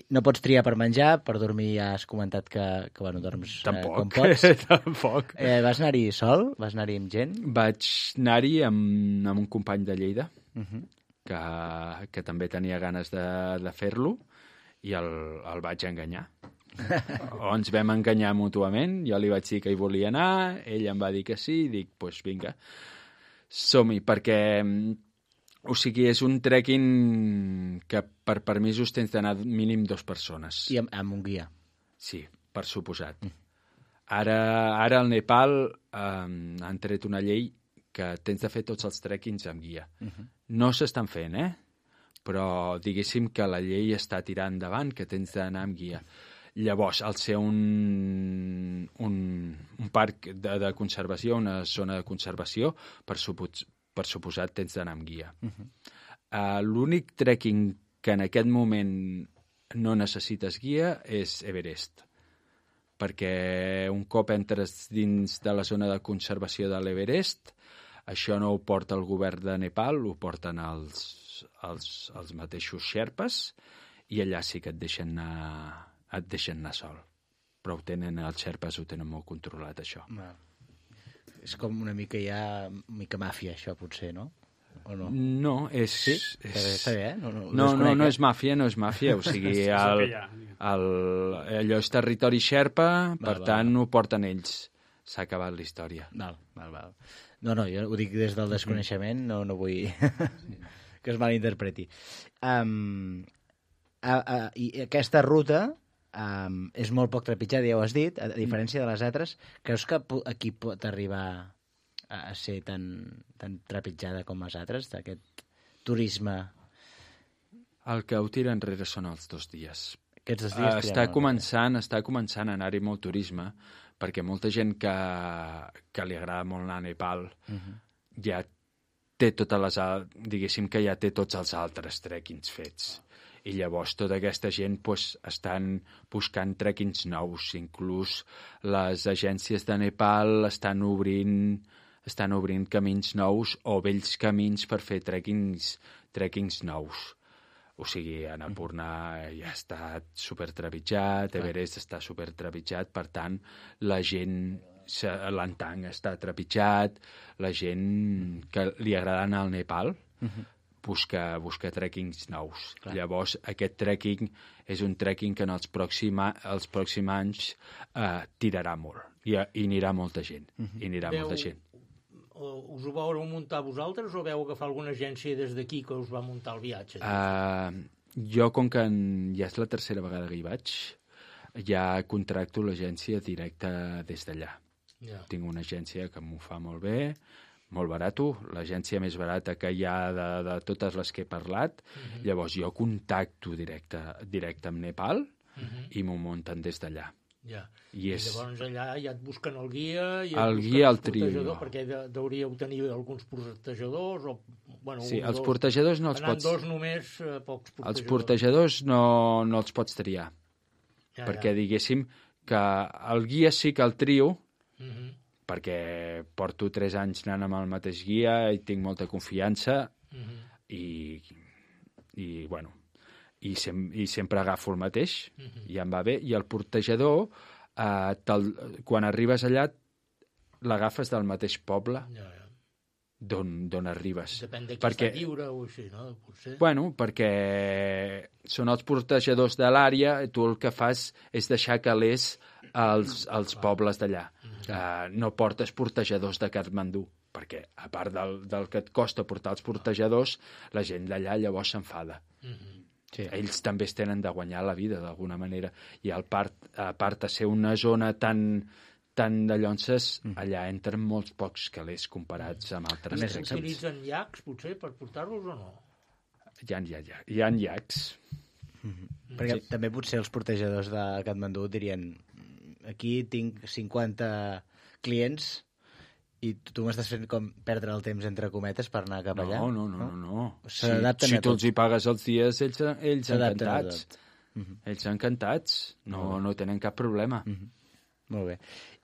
no pots triar per menjar, per dormir ja has comentat que, que bueno, dorms Tampoc. Eh, com pots. Tampoc. Eh, vas anar-hi sol? Vas anar-hi amb gent? Vaig anar-hi amb, amb un company de Lleida, uh-huh. que, que també tenia ganes de, de fer-lo, i el, el vaig enganyar. O ens vam enganyar mútuament, jo li vaig dir que hi volia anar, ell em va dir que sí, i dic, doncs pues vinga, som-hi, perquè... O sigui, és un trekking que per permisos tens d'anar mínim dues persones. I amb, amb un guia? Sí, per suposat. Mm. Ara, ara al Nepal eh, han tret una llei que tens de fer tots els trekkings amb guia. Uh-huh. No s'estan fent, eh? Però diguéssim que la llei està tirant endavant, que tens d'anar amb guia. Llavors, al ser un, un, un parc de, de conservació, una zona de conservació, per suposat, per suposat tens d'anar amb guia. Uh-huh. Uh, l'únic trekking que en aquest moment no necessites guia és Everest, perquè un cop entres dins de la zona de conservació de l'Everest, això no ho porta el govern de Nepal, ho porten els, els, els mateixos xerpes, i allà sí que et deixen anar, et deixen anar sol. Però ho tenen, els xerpes ho tenen molt controlat, això. Well. És com una mica ja, una mica màfia, això, potser, no? O no? No, és... Sí? és... Està bé, eh? No, no, no, no, no és màfia, no és màfia. O sigui, el, el, allò és territori xerpa, per val, tant, val. ho porten ells. S'ha acabat la història. Val, val, val. No, no, jo ho dic des del desconeixement, no, no vull que es malinterpreti. Um, a, a, I aquesta ruta... Um, és molt poc trepitjada, ja ho has dit, a diferència de les altres. Creus que aquí pot arribar a, a ser tan, tan trepitjada com les altres, d'aquest turisme? El que ho tira enrere són els dos dies. Aquests dos dies uh, està començant, està començant a anar-hi molt turisme, perquè molta gent que, que li agrada molt anar a Nepal uh-huh. ja té totes les... diguéssim que ja té tots els altres trekkings fets. I llavors tota aquesta gent pues, estan buscant trekkings nous. Inclús les agències de Nepal estan obrint, estan obrint camins nous o vells camins per fer trekkings, trekkings nous. O sigui, Annapurna ja està supertrepitjat, Everest està supertrepitjat, per tant, la gent, l'Antang està trepitjat, la gent que li agrada anar al Nepal, uh-huh. busca, busca trekkings nous. Clar. Llavors, aquest trekking és un trekking que en els, pròxima, els pròxims anys eh, tirarà molt. I, I anirà molta gent. Uh-huh. I anirà Veu, molta gent. us ho vau muntar vosaltres o vau agafar alguna agència des d'aquí que us va muntar el viatge? Uh, jo, com que ja és la tercera vegada que hi vaig, ja contracto l'agència directa des d'allà. Ja. Tinc una agència que m'ho fa molt bé, molt barato, l'agència més barata que hi ha de, de totes les que he parlat. Uh-huh. Llavors jo contacto directe, directe amb Nepal uh-huh. i m'ho munten des d'allà. Ja. I, I és... llavors allà ja et busquen el guia, i el guia, el trio. Perquè de, deuríeu tenir alguns portejadors, o, bueno, sí, un, els dos, portejadors no els anant pots... dos només, eh, pocs portejadors. Els portejadors no, no els pots triar, ja, perquè ja. diguéssim que el guia sí que el trio, uh-huh. perquè porto tres anys anant amb el mateix guia i tinc molta confiança uh-huh. i, i, bueno, i, sem i sempre agafo el mateix, uh-huh. i em va bé. I el portejador, eh, quan arribes allà, l'agafes del mateix poble ja, ja. d'on arribes. Depèn de qui perquè, està lliure o així, no? Potser. Bueno, perquè són els portejadors de l'àrea, tu el que fas és deixar calés als, als pobles d'allà. Uh-huh. uh, no portes portejadors de Katmandú, perquè a part del, del que et costa portar els portejadors, la gent d'allà llavors s'enfada. Uh-huh. Sí. Ells també es tenen de guanyar la vida d'alguna manera, i al part, a part de ser una zona tan, tan de llonces, mm. allà entren molts pocs calés comparats amb altres trens. Utilitzen llacs, potser, per portar-los o no? Hi ha, hi ha, hi ha llacs. Mm-hmm. Perquè sí. també potser els portejadors de Katmandú dirien aquí tinc cinquanta clients i tu m'estàs fent com perdre el temps entre cometes per anar cap allà? No, no, no, no. no. Si, si tu els hi pagues els dies, ells, ells encantats. Uh-huh. Ells encantats. No, no tenen cap problema. Uh-huh. Molt bé.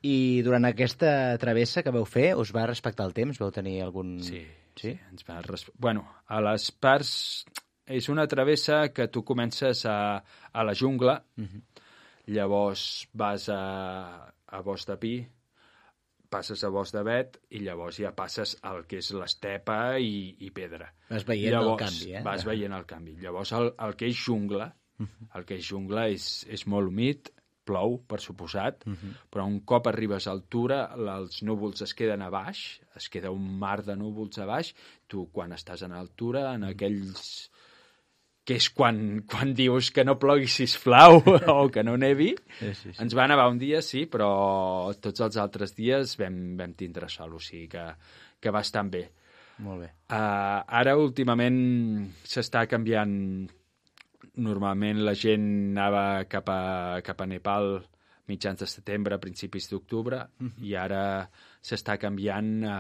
I durant aquesta travessa que vau fer, us va respectar el temps? Vau tenir algun... Sí, sí? sí ens va res... Bueno, a les parts... És una travessa que tu comences a, a la jungla, uh-huh. llavors vas a, a Bosc de Pi, passes a Bosc de Bet i llavors ja passes al que és l'estepa i, i pedra. Vas veient llavors, el canvi, eh? Vas veient el canvi. Llavors el, el que és jungla, uh-huh. el que és jungla és, és molt humit, plou, per suposat, uh-huh. però un cop arribes a altura, els núvols es queden a baix, es queda un mar de núvols a baix, tu quan estàs en altura, en aquells... que és quan, quan dius que no plogui, sisplau, o que no nevi. Sí, sí, sí. Ens va nevar un dia, sí, però tots els altres dies vam, vam tindre sol, o sigui que, que va estar bé. Molt bé. Uh, ara, últimament, s'està canviant... Normalment la gent anava cap a, cap a Nepal mitjans de setembre, principis d'octubre, uh-huh. i ara s'està canviant a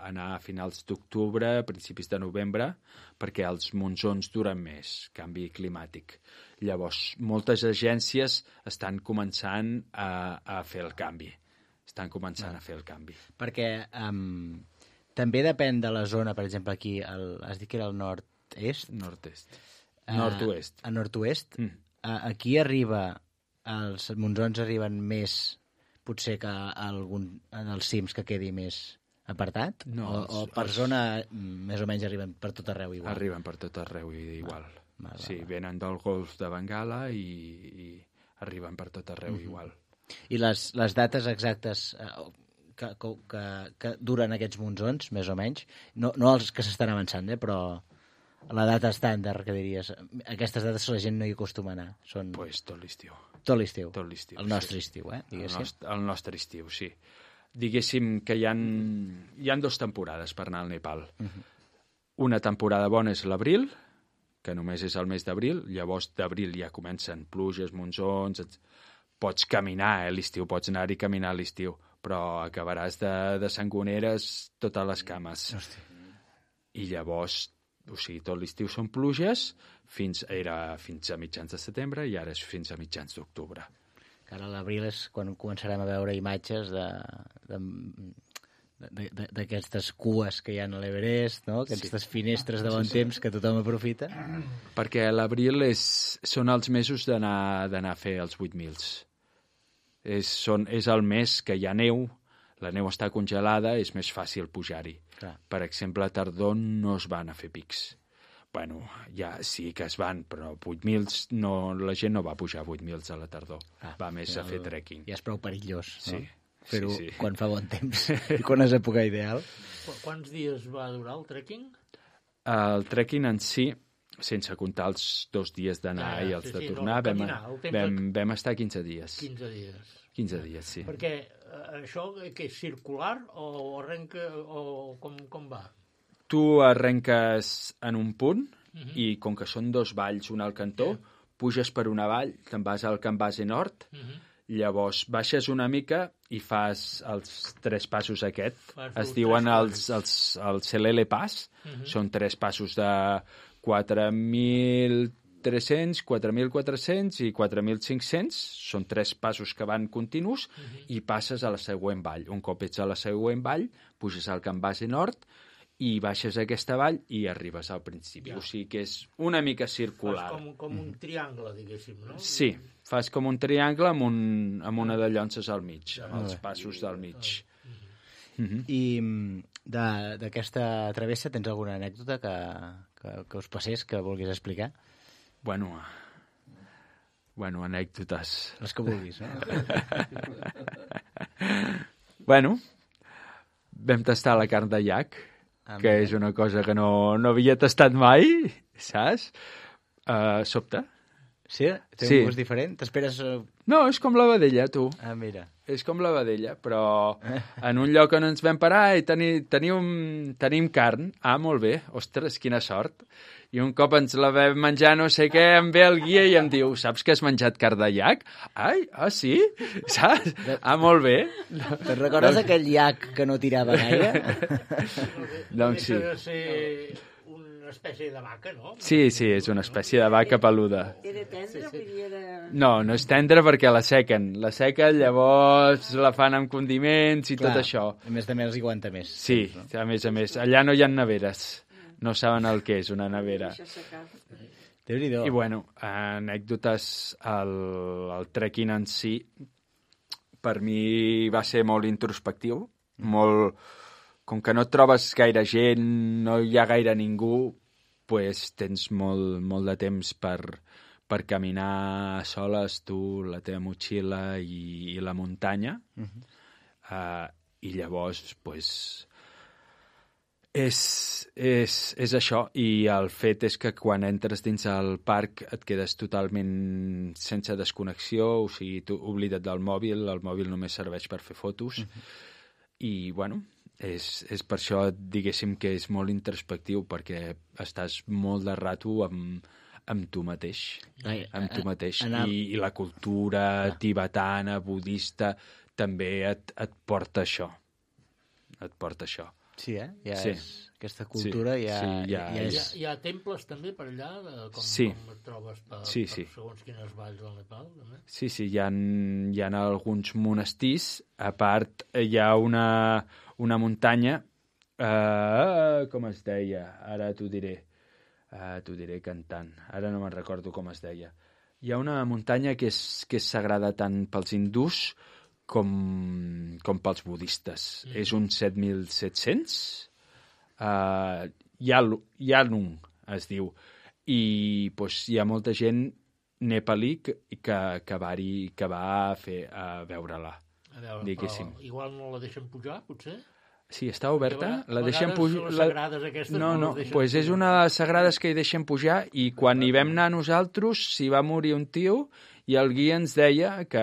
anar a finals d'octubre, principis de novembre, perquè els monsons duren més, canvi climàtic. Llavors, moltes agències estan començant a, a fer el canvi. Estan començant ah. a fer el canvi. Perquè um, també depèn de la zona, per exemple, aquí, el, has dit que era el nord-est? Nord-est. Uh, nord-oest. A nord-oest. Mm. Uh, aquí arriba... Els monsons arriben més, potser, que algun, en els cims que quedi més apartat? No, o, els, o per els... zona més o menys arriben per tot arreu igual? Arriben per tot arreu igual. Va, va, sí, va. Venen del golf de Bengala i, i arriben per tot arreu mm-hmm. igual. I les, les dates exactes eh, que, que, que duren aquests monsons, més o menys, no, no els que s'estan avançant, eh, però... La data estàndard, que diries. Aquestes dates la gent no hi acostuma a anar. Són... Pues tot l'estiu. Tot l'estiu. Tot l'estiu. El nostre sí. estiu, eh? El nostre, el nostre estiu, sí. Diguéssim que hi ha, hi ha dues temporades per anar al Nepal. Uh-huh. Una temporada bona és l'abril, que només és el mes d'abril. Llavors, d'abril ja comencen pluges, monsons... Et... Pots caminar, eh? L'estiu. Pots anar-hi a caminar a l'estiu. Però acabaràs de, de sangoneres totes les cames. Hòstia. I llavors... O sigui, tot l'estiu són pluges, fins, era fins a mitjans de setembre i ara és fins a mitjans d'octubre. Ara a l'abril és quan començarem a veure imatges de, de, de, de, d'aquestes cues que hi ha a l'Everest, no? Aquestes sí. finestres de bon sí, sí. temps que tothom aprofita. Perquè l'abril és, són els mesos d'anar d'anar a fer els vuit mils. És, són, és el mes que hi ha neu, la neu està congelada, és més fàcil pujar-hi. Clar. Per exemple, a tardor no es van a fer pics. Bueno, ja sí que es van, però vuit mils, no, la gent no va pujar vuit mils a la tardor. Ah, va més a fer trekking. Ja és prou perillós, sí, no? Fer-ho sí, sí. quan fa bon temps i quan és època ideal. Qu- Quants dies va durar el trekking? El trekking en si, sense comptar els dos dies d'anar Ja, ja, i els sí, de sí, no, tornar, el vam, caminar, el temps vam, de- vam estar quinze dies. quinze dies. quinze dies, sí. Perquè eh, això que és circular o arrenca o com, com va? Tu arrenques en un punt Mhm. i com que són dos valls, un al cantó, puges per una vall, te'n vas al Can Base Nord, Mhm. llavors baixes una mica i fas els tres passos aquest. Fas Es els diuen tres els, els, els Selele Pass. Mhm. Són tres passos de quatre mil tres-cents, quatre mil quatre-cents i quatre mil cinc-cents. Són tres passos que van continus i passes a la següent vall. Un cop ets a la següent vall, puges al Can Base Nord i baixes aquesta vall i arribes al principi. Ja. O sigui que és una mica circular. Fas com, com un triangle, diguéssim, no? Sí, fas com un triangle amb, un, amb una de llonces al mig, Ja. amb els Molt bé. passos del mig. I mm, de- d'aquesta travessa tens alguna anècdota que, que, que us passés, que vulguis explicar? Bueno, bueno, anècdotes. Les que vulguis, no? Bueno, vam tastar la carn de llac, Ah, que mira. és una cosa que no, no havia tastat mai, saps? Uh, sobte. Sí? Té Sí. un gust diferent? T'esperes... eh, No, és com la vedella, tu. Ah, mira. És com la vedella, però en un lloc on ens vam parar i teni, tenim, tenim carn. Ah, molt bé. Ostres, quina sort. I un cop ens la vam menjar, no sé què, em ve el guia i em diu, saps que has menjat carn de llac? Ai, ah, sí? Saps? Ah, molt bé. Te'n recordes aquell llac que no tirava gaire? Doncs sí. Deixa de ser una espècie de vaca, no? Sí, sí, és una espècie de vaca peluda. Era tendre, vull dir, era... No, no és tendre perquè la sequen. La sequen, llavors la fan amb condiments i Clar, tot això. A més de més els hi aguanta més. Sí, a més a més. Allà no hi ha neveres. No saben el que és una nevera. Déu-n'hi-do. I bueno, anècdotes, el, el trekking en si, per mi va ser molt introspectiu, molt... Com que no et trobes gaire gent, no hi ha gaire ningú, pues tens molt, molt de temps per, per caminar soles, tu, la teva motxilla i, i la muntanya. Mhm. Uh, I llavors, pues, és, és, és això. I el fet és que quan entres dins el parc et quedes totalment sense desconnexió, o sigui, tu oblida't del mòbil, el mòbil només serveix per fer fotos. Mm-hmm. I, bueno, és, és per això, diguéssim, que és molt introspectiu, perquè estàs molt de rato amb, amb tu mateix. Ai, amb tu mateix. anar- I, I la cultura tibetana, budista, també et, et porta això. Et porta això. Sí, eh? Ja Sí. és... Aquesta cultura Sí, ja, sí, ja ja, ja Hi és... ha, hi ha temples també per allà, de, com, Sí. com et trobes per, Sí, per sí. segons quines valls del Nepal, també? Sí, sí, hi ha, hi ha alguns monestirs. A part, hi ha una, una muntanya, eh, com es deia? Ara t'ho diré. Uh, t'ho diré cantant. Ara no me'n recordo com es deia. Hi ha una muntanya que és, que és sagrada tant pels hindús com, com pels budistes. Mm. És un set mil set-cents. Uh, Yalu, Yalung es diu. I pues, hi ha molta gent nepalí que, que, que, va, que va a, fer, a veure-la. A veure, diguéssim. però igual no la deixen pujar, potser? Sí, està oberta. Perquè a La deixen vegades pujar. les sagrades aquestes No, no no, les deixen pues és pujar. una de les sagrades que hi deixen pujar i quan hi vam anar nosaltres s'hi va morir un tio i el guia ens deia que,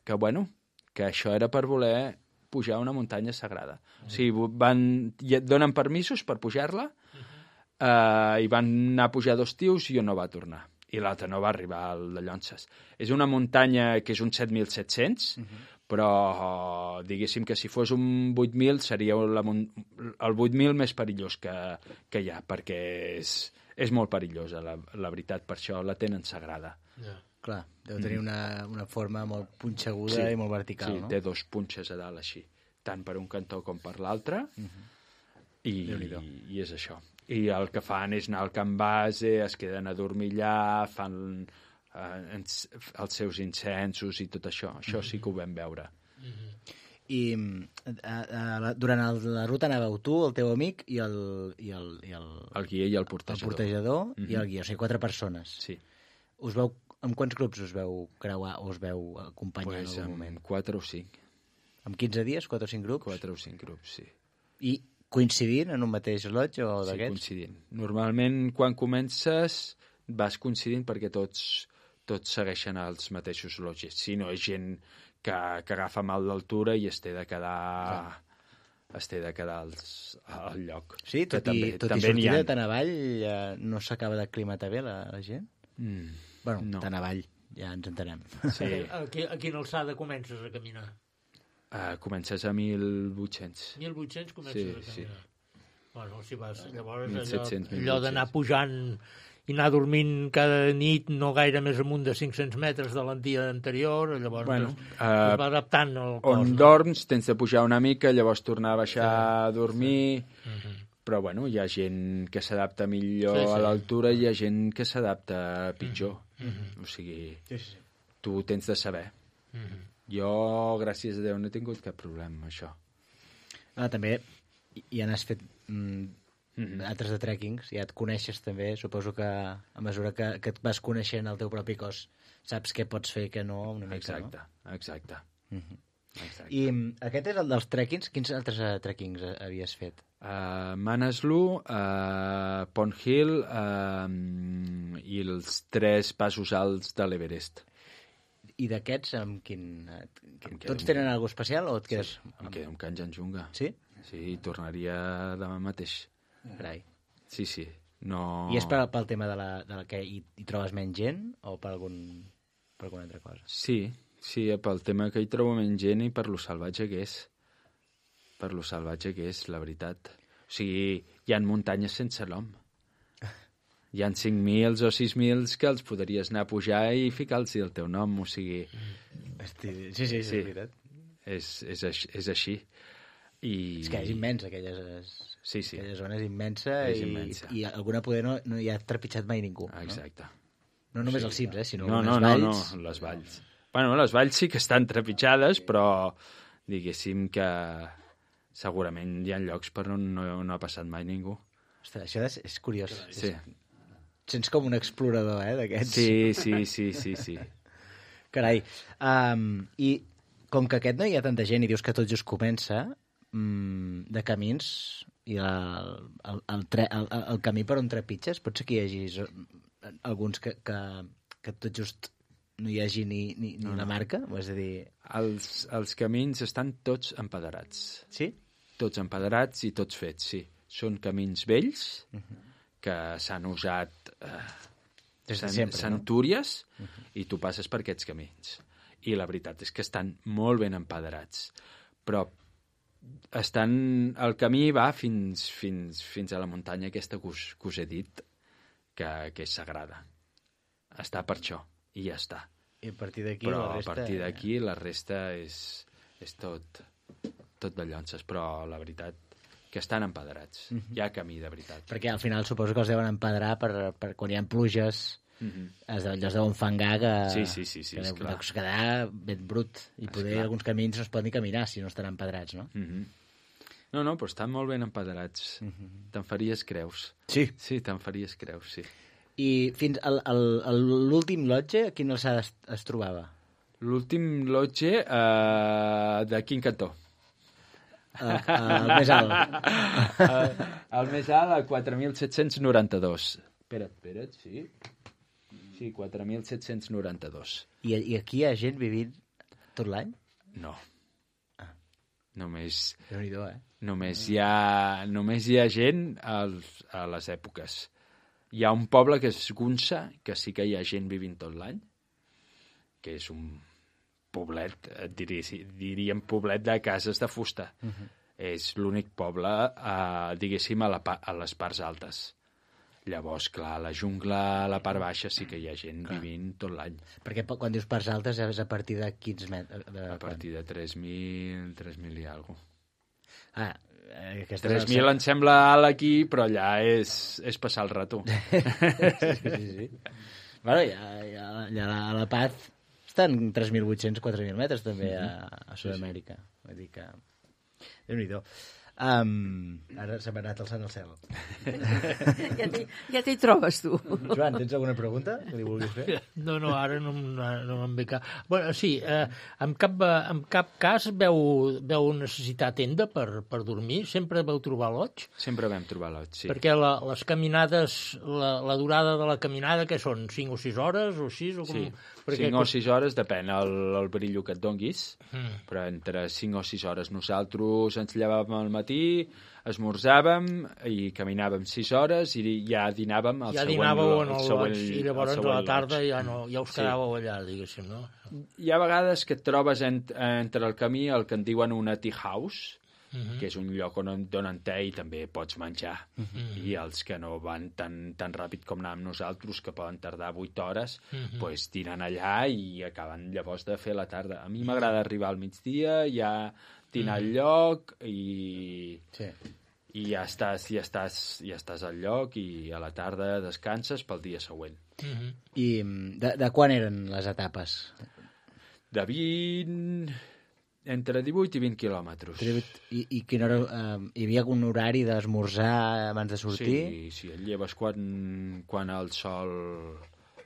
que, bueno, que això era per voler pujar una muntanya sagrada. O sigui, van, i et donen permisos per pujar-la eh, i van anar a pujar dos tios i un no va tornar. I l'altre no va arribar al de Llonces. És una muntanya que és un set mil set-cents, però diguéssim que si fos un vuit mil seria la, el vuit mil més perillós que, que hi ha, perquè és, és molt perillosa, la, la veritat, per això la tenen sagrada. Ja. Clar, deu tenir Mm. una, una forma molt punxeguda Sí, i molt vertical, sí, no? té dos punxes a dalt així, tant per un cantó com per l'altre, i, i és això. I el que fan és anar al camp base, es queden a dormir allà, fan eh, ens- els seus incensos i tot això. Això sí que ho vam veure. I a, a, la- durant el, la ruta anàveu tu, el teu amic i el... I el, i el, el guia i el portejador. El portejador Mhm. i el guia, o sigui, quatre persones. Sí. Us veu, amb quants grups us veu creuar o us veu acompanyar Pues en algun amb moment? quatre o cinc. Amb quinze dies, quatre o cinc grups? Quatre o cinc grups, sí. I coincidint en un mateix lodge o Sí, d'aquests? coincidint. Normalment, quan comences, vas coincidint perquè tots, tots segueixen els mateixos lodges. Si no, és gent que, que agafa mal d'altura i es té de quedar... es té de quedar als, al lloc. Sí, tot, que i, també, tot i també n'hi sortir ha. de tan avall, ja no s'acaba d'aclimatar bé la, la gent? Mm, bueno, no. tan avall, ja ens entenem. Sí. A, qui- a quina alçada comences a caminar? Uh, comences a mil vuit-cents. mil vuit-cents comences Sí, a sí. caminar. Bueno, si vas, llavors mil allò, set-cents, mil allò d'anar pujant i anar dormint cada nit no gaire més amunt de cinc-cents metres de l'andia anterior, llavors Bueno, es, uh, es va adaptant al cos. On no? dorms tens de pujar una mica, llavors tornar a baixar a dormir... Sí. Uh -huh. Però, bueno, hi ha gent que s'adapta millor Sí, sí. a l'altura i hi ha gent que s'adapta pitjor. Uh -huh. O sigui, Sí, sí. tu ho tens de saber. Uh -huh. Jo, gràcies a Déu, no he tingut cap problema amb això. Ah, també ja n'has fet mm, Mhm. altres de trekkings, ja et coneixes també, suposo que a mesura que, que et vas coneixent el teu propi cos, saps què pots fer, què no, una mica, Exacte, no? exacte. Mhm. exacte. I mm, aquest és el dels trekkings. Quins altres uh, trekkings uh, havies fet? Uh, Manaslu, uh, Pond Hill uh, i els tres passos alts de l'Everest. I d'aquests, amb quin... eh, Em quedo Tots amb- tenen alguna especial o et quedes... Sí, em quedo amb Kanchenjunga. Sí? Sí, tornaria demà mateix. Carai. Sí, sí. No... I és pel, pel tema de la, de la que hi, hi trobes menys gent o per, algun, per alguna altra cosa? Sí, sí, pel tema que hi trobo menys gent i per lo salvatge que és. Per lo salvatge que és, la veritat. O sigui, hi ha muntanyes sense nom. Hi ha cinc mil o sis mil que els podries anar a pujar i ficar-los el teu nom, o sigui... Hosti, sí, sí, sí, és veritat. És, és, aix- és així. I... És que és immens, aquella, Sí, sí. aquella zona és immensa, És i, immensa. i alguna poder no, no hi ha trepitjat mai ningú. Exacte. No, no només els cims, eh, sinó No, les no, no, valls. no, les valls. Bueno, les valls sí que estan trepitjades, però diguéssim que segurament hi ha llocs per on no, no ha passat mai ningú. Ostres, això és, és curiós. Sí. És, sents com un explorador, eh, d'aquests. Sí, sí, sí, sí, sí. Carai. Um, I com que aquest no hi ha tanta gent i dius que tot just comença, um, de camins i el, el, el, tre, el, el camí per on trepitges, pot ser que hi hagi zo- alguns que, que, que tot just no hi hagi ni, ni, ni No, una no. marca? O és a dir... Els, els camins estan tots empaderats. Sí? Tots empaderats i tots fets, sí. Són camins vells que s'han usat eh, Des de cent- sempre, no? centúries i tu passes per aquests camins. I la veritat és que estan molt ben empaderats. Però estan... el camí va fins, fins, fins a la muntanya aquesta que us, que us he dit, que, que és sagrada. Està per això, i ja està. I a partir d'aquí Però la resta... a partir d'aquí la resta és, és tot, tot de llonces, però la veritat que estan empaderats. Mhm. Hi ha camí, de veritat. Perquè al final suposo que els deuen empedrar per, per quan hi ha pluges, Mhm. es, allò es deuen fangar que, Sí, sí, sí, sí, que deu, esclar. deu quedar ben brut. I poder Esclar. alguns camins no es poden ni caminar si no estan empedrats, no? Mhm. No, no, però estan molt ben empaderats. Mhm. Te'n faries creus. Sí? Sí, te'n faries creus, sí. I fins al, al, al, l'últim lotge, a quina alçada es, es trobava? L'últim lotge uh, de quin cantó? El, el més alt. el, el més alt, a quatre mil set-cents noranta-dos. Espera't, espera't, sí. Sí, quatre mil set-cents noranta-dos. I, I aquí hi ha gent vivint tot l'any? No. Només, Déu-n'hi-do, eh? només, hi ha, només hi ha gent als, a les èpoques. Hi ha un poble que és Gunsa, que sí que hi ha gent vivint tot l'any, que és un poblet, et diria, diríem poblet de cases de fusta. Uh -huh. És l'únic poble, eh, diguéssim, a, la, pa- a les parts altes. Llavors, clar, a la jungla, a la part baixa, sí que hi ha gent clar. Vivint tot l'any. Perquè po- quan dius parts altes és a partir de quins metres? De, A partir de tres mil, tres mil i alguna cosa. Ah, eh, aquesta tres mil em sembla alt aquí, però allà és, és passar el rato. sí, sí, sí. Bueno, ja, ja, ja a la Paz estan tres mil vuit-cents, quatre mil metres també a, a Sud-amèrica. Vull dir que... Déu-n'hi-do. Um, ara se m'ha anat alçant al cel. Ja t'hi ja t'hi trobes, tu. Joan, tens alguna pregunta que li vulguis fer? No, no, ara no, no, no em ve cap... Bueno, sí, eh, en, cap, en cap cas veu, veu necessitar tenda per, per dormir? Sempre veu trobar loig? Sempre vam trobar loig, sí. Perquè la, les caminades, la, la durada de la caminada, què són? cinc o sis hores o sis? O com... Sí, Perquè... cinc o sis hores, depèn el, el brillo que et donguis, Mm. però entre cinc o sis hores. Nosaltres ens llevàvem al matí, esmorzàvem i caminàvem sis hores i ja dinàvem el ja següent, dinàveu en el, el següent, lodge, i llavors a la tarda ja, no, ja us Sí. quedàveu allà, diguéssim, no? Hi ha vegades que et trobes en, entre el camí el que en diuen una tea house, Mhm. que és un lloc on et donen te i també pots menjar. Mhm. I els que no van tan, tan ràpid com anàvem nosaltres, que poden tardar vuit hores, Mhm. pues, dinen allà i acaben llavors de fer la tarda. A mi m'agrada arribar al migdia, ja dinar al Mhm. lloc i... Sí. I ja estàs, ja, estàs, ja estàs al lloc i a la tarda descanses pel dia següent. Mhm. I de, de quan eren les etapes? De vint... Entre divuit i vint quilòmetres. I, i quina hora, eh, hi havia algun horari d'esmorzar abans de sortir? Sí, sí, et lleves quan, quan el sol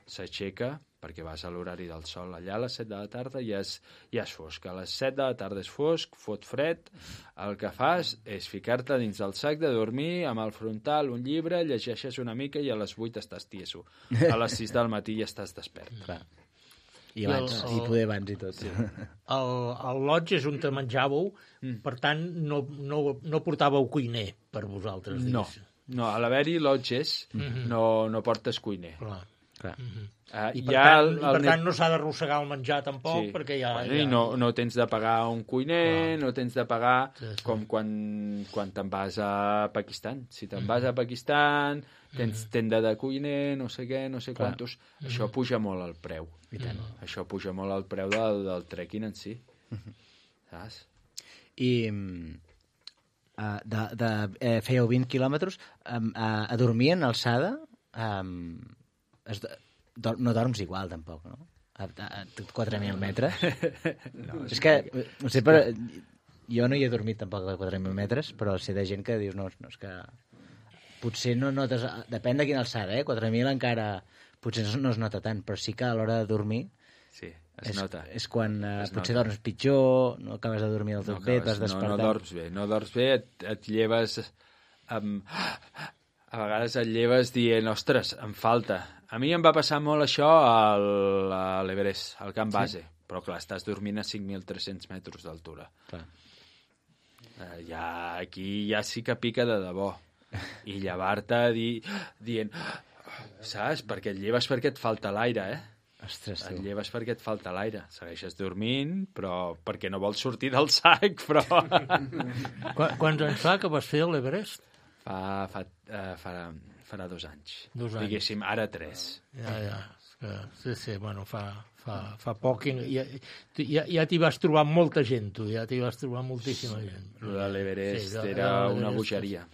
s'aixeca, perquè vas a l'horari del sol. Allà a les set de la tarda ja és, ja és fosc. A les set de la tarda és fosc, fot fred. El que fas és ficar-te dins del sac de dormir amb el frontal, un llibre, llegeixes una mica i a les vuit estàs tieso. A les sis del matí ja estàs despert. Clar. I abans, I el- i poder abans i tot. Sí. El, el lodge és on te menjàveu, mm. per tant, no, no, no portàveu cuiner per vosaltres, No, diguéssim. no, a l'haver-hi lodges Mhm. no, no portes cuiner. Clar. Clar. Uh, I per, tant, i per tant no s'ha d'arrossegar el menjar tampoc, Sí. perquè ja... Bueno, ja... I no, no tens de pagar un cuiner, Clar. no tens de pagar Sí, sí. com quan, quan te'n vas a Pakistan. Si te'n Mhm. vas a Pakistan, tens tenda de cuiner, no sé què, no sé Clar. quantos... Mhm. Això puja molt el preu. I tant. Això puja molt el preu del, del trekking en si. Saps? I uh, de, de, eh, fèieu vint quilòmetres um, a, a dormir en alçada um, es, do, no dorms igual tampoc, no? A, a, a quatre mil metres. No, és que, no sé, però, jo no hi he dormit tampoc a quatre mil metres, però sé de gent que dius, no, no és que potser no notes, depèn de quina alçada, eh? quatre mil encara potser no es nota tant, però sí que a l'hora de dormir Sí, es és, nota. és quan uh, Es potser nota. dorms pitjor, no acabes de dormir del tot No bé, et acabes- vas despertar. No, no dorms bé, no dorms bé, et, et lleves amb... A vegades et lleves dient, ostres, em falta. A mi em va passar molt això al, a l'Everest, al camp base, sí. Però clar, estàs dormint a cinc mil tres-cents metres d'altura. Clar. Eh, ja, aquí ja sí que pica de debò. I llevar-te di, dient... Saps? Perquè et lleves perquè et falta l'aire, eh? Ostres, Et tu. lleves perquè et falta l'aire. Segueixes dormint, però perquè no vols sortir del sac, però... Qu Quants anys fa que vas fer l'Everest? Fa, fa, uh, farà, farà dos anys. Dos anys. Diguéssim, ara tres. Ja, ja. És que, sí, sí, bueno, fa, fa, fa poc i ja, tu ja, ja t'hi vas trobar molta gent, tu, ja t'hi vas trobar moltíssima gent. Lo de l'Everest Sí, era de una l'Everest bogeria.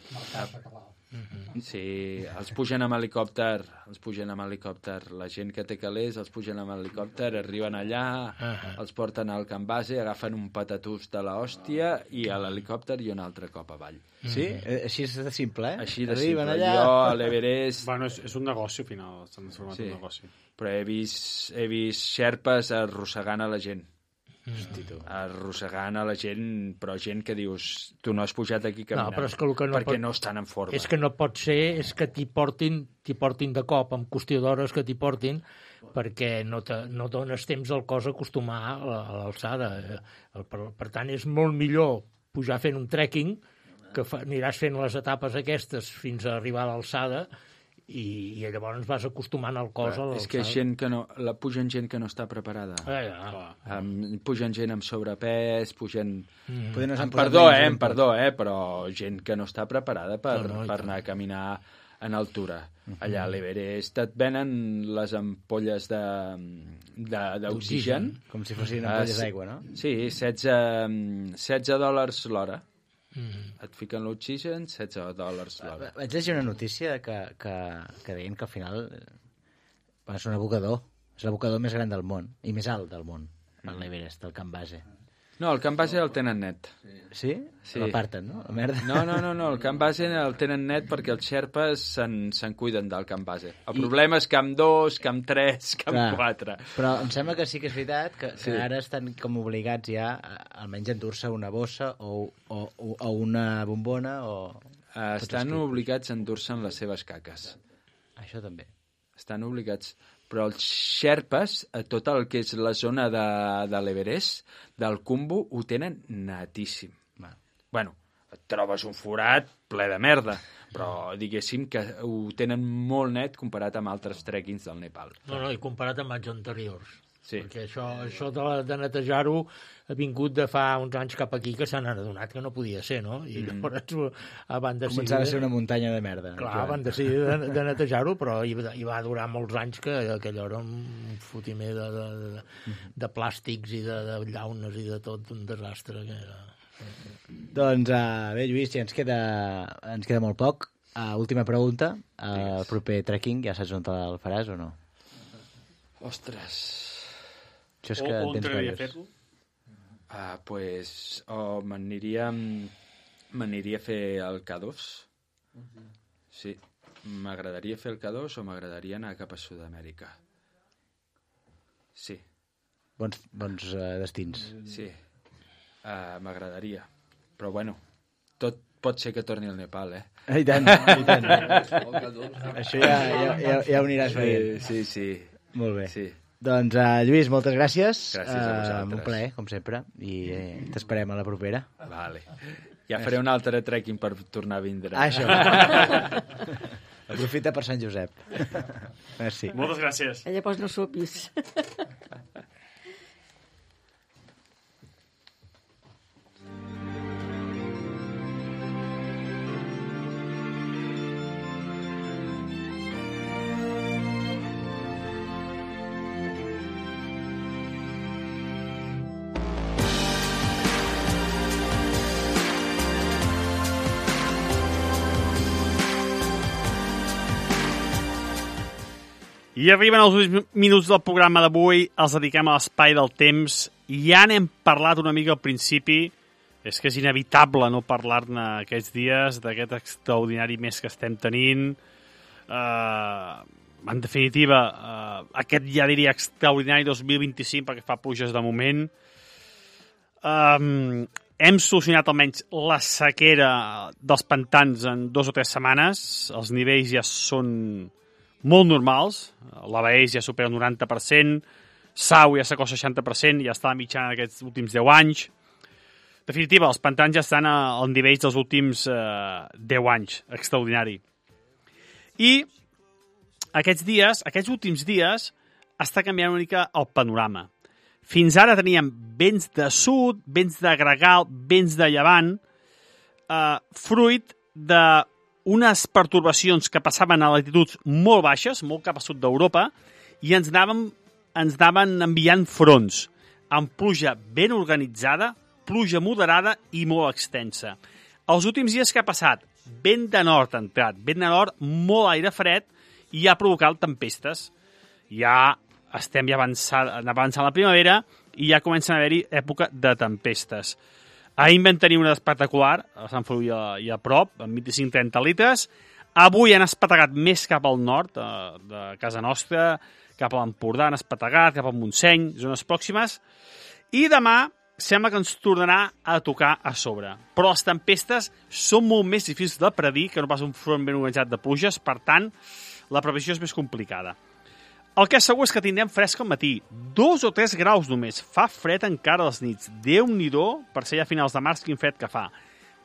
Mhm. Sí, els pugen amb helicòpter, els pugen amb helicòpter. La gent que té calés els pugen amb helicòpter, arriben allà, Ah. els porten al camp base, agafen un patatús de l'hòstia i a l'helicòpter i un altre cop avall. Sí? Eh, Així és de simple, eh? Així de Arriben simple. allà... Jo a l'Everest... Bueno, és, és un negoci, al final, s'han transformat Sí. en un negoci. Però he vist, he vist xerpes arrossegant a la gent. Hosti, tu. Arrossegant a la gent, però gent que dius, tu no has pujat aquí No, caminant, però és que el que no perquè pot... no estan en forma. És que no pot ser, és que t'hi portin, t'hi portin de cop, amb qüestió d'hores que t'hi portin, perquè no, te, no dones temps al cos a acostumar a la- a l'alçada. Eh, Per, per tant, és molt millor pujar fent un trekking, que fa, aniràs fent les etapes aquestes fins a arribar a l'alçada, i, i llavors vas acostumant el cos a l'alçada. És que gent que no, la pugen gent que no està preparada. Ah, ja. Um, pugen gent amb sobrepès, pugen... Mm. Poder no s'han Amb posat perdó, menys eh, ben amb perdó, eh, però gent que no està preparada per, No, no, i per tant. anar a caminar en altura. Allà a l'Everest et venen les ampolles de, de, d'oxigen. Com si fossin Ah, ampolles sí. d'aigua, no? Sí, setze, setze dòlars l'hora. Mm. Et fiquen l'oxigen, setze dòlars l'hora. Vaig llegir una notícia que, que, que deien que al final eh, és un abocador. És l'abocador més gran del món i més alt del món, mm. l'Everest, el camp base. No, el camp base el tenen net. Sí? Sí. L'aparten, no? La merda. No, no, no, no, el camp base el tenen net perquè els xerpes se'n se cuiden del camp base. El I... problema és camp dos, camp tres, camp Clar. quatre. Però em sembla que sí que és veritat que, que sí. ara estan com obligats ja a, almenys a endur-se una bossa o, o, o una bombona o... Uh, estan obligats a endur-se les seves caques. Això també. Estan obligats... Però els xerpes, a tot el que és la zona de, de l'Everest, del Kumbu, ho tenen netíssim. Va. Bueno, et trobes un forat ple de merda, però diguéssim que ho tenen molt net comparat amb altres trekkings del Nepal. No, no, i comparat amb anys anteriors. Sí. Perquè això, això de, de netejar-ho ha vingut de fa uns anys cap aquí que s'han adonat que no podia ser, no? I mm. llavors van decidir... Començava a ser una muntanya de merda. Clar, clar. Van decidir de, de netejar-ho, però hi, hi va durar molts anys que aquell era un fotimer de, de, de, de plàstics i de, de llaunes i de tot, un desastre que era... Doncs uh, bé, Lluís, ja ens queda, ens queda molt poc. Uh, última pregunta. Uh, el proper trekking, ja saps on el faràs o no? Ostres... Això és que o on t'agradaria fer-lo? Ah, pues, o m'aniria m'aniria a fer el K dos. Uh-huh. Sí, m'agradaria fer el K dos o m'agradaria anar cap a Sud-amèrica. Sí. Bons, bons uh, destins. Sí, uh, m'agradaria. Però bueno, tot pot ser que torni al Nepal, eh? I tant, i tant. Això ja, ja, ja, ja ho aniràs veient. Sí, sí. Molt bé. Sí. Doncs, uh, Lluís, moltes gràcies. Gràcies a vosaltres. Uh, un plaer, com sempre, i eh, t'esperem a la propera. Vale. Ja faré un altre trekking per tornar a vindre. Ah, això. Aprofita per Sant Josep. Merci. Moltes gràcies. Eh, llavors no sopis. I arriben els últims minuts del programa d'avui, els dediquem a l'espai del temps. Ja n'hem parlat una mica al principi, és que és inevitable no parlar-ne aquests dies, d'aquest extraordinari mes que estem tenint. Uh, en definitiva, uh, aquest ja diria extraordinari dos mil vint-i-cinc, perquè fa pluges de moment. Um, hem solucionat almenys la sequera dels pantans en dues o tres setmanes. Els nivells ja són molt normals, la Baeix ja supera el noranta per cent, Sau ja s'acosta al seixanta per cent, ja està a la mitjana d'aquests últims deu anys. En definitiva, els pantans ja estan al nivell dels últims eh, deu anys, extraordinari. I aquests dies, aquests últims dies, està canviant una mica el panorama. Fins ara teníem vents de sud, vents de gregal, vents de llevant, eh, fruit de unes pertorbacions que passaven a latituds molt baixes, molt cap a sud d'Europa, i ens anaven, ens anaven enviant fronts, amb pluja ben organitzada, pluja moderada i molt extensa. Els últims dies que ha passat, vent de nord ha entrat, vent de nord, molt aire fred, i ha provocat tempestes. Ja estem ja avançant, avançant la primavera, i ja comencen a haver-hi època de tempestes. Ahir en vam tenir una espectacular, a Sant Feliu i a prop, amb vint-i-cinc a trenta litres. Avui han espetegat més cap al nord de, de casa nostra, cap a l'Empordà han espetegat, cap al Montseny, zones pròximes. I demà sembla que ens tornarà a tocar a sobre. Però les tempestes són molt més difícils de predir que no pas un front ben organitzat de pluges, per tant, la previsió és més complicada. El que és segur és que tindrem fresc al matí. Dos o tres graus només. Fa fred encara a les nits. Déu-n'hi-do, per ser ja a finals de març, quin fred que fa.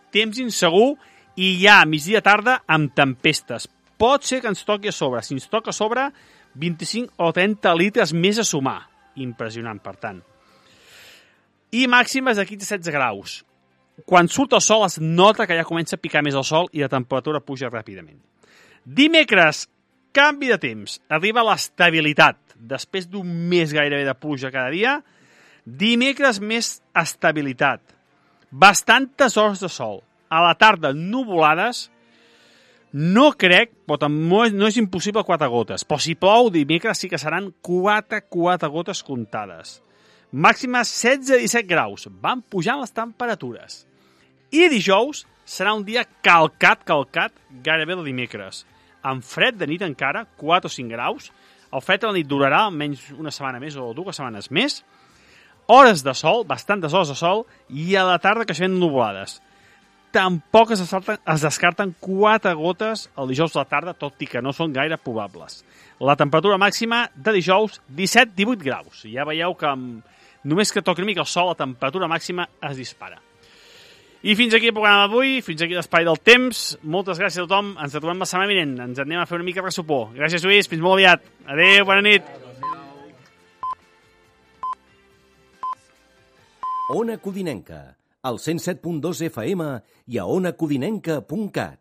Temps insegur i ja a migdia tarda amb tempestes. Pot ser que ens toqui a sobre. Si ens toca a sobre, vint-i-cinc o trenta litres més a sumar. Impressionant, per tant. I màximes de quinze a setze graus. Quan surt el sol es nota que ja comença a picar més el sol i la temperatura puja ràpidament. Dimecres, canvi de temps, arriba l'estabilitat. Després d'un mes gairebé de pluja cada dia, dimecres més estabilitat. Bastantes hores de sol. A la tarda, nuvolades. No crec, però no és, no és impossible quatre gotes. Però si plou, dimecres sí que seran quatre, quatre gotes comptades. Màxima setze a disset graus. Van pujant les temperatures. I dijous serà un dia calcat, calcat, gairebé el dimecres. Amb fred de nit encara, quatre o cinc graus. El fred a la nit durarà almenys una setmana més o dues setmanes més. Hores de sol, bastantes hores de sol, i a la tarda creixement nuvolades. Tampoc es descarten, es descarten quatre gotes el dijous a la tarda, tot i que no són gaire probables. La temperatura màxima de dijous, disset a divuit graus. Ja veieu que amb, només que toqui una mica el sol, la temperatura màxima es dispara. I fins aquí el programa d'avui, fins aquí l'Espai del Temps. Moltes gràcies a tothom, ens trobem la setmana vinent. Ens anem a fer una mica de ressupor. Gràcies, Lluís, fins molt aviat. Adéu, bona nit. Ona Codinenca, al cent set punt dos F M i a ona codinenca punt cat.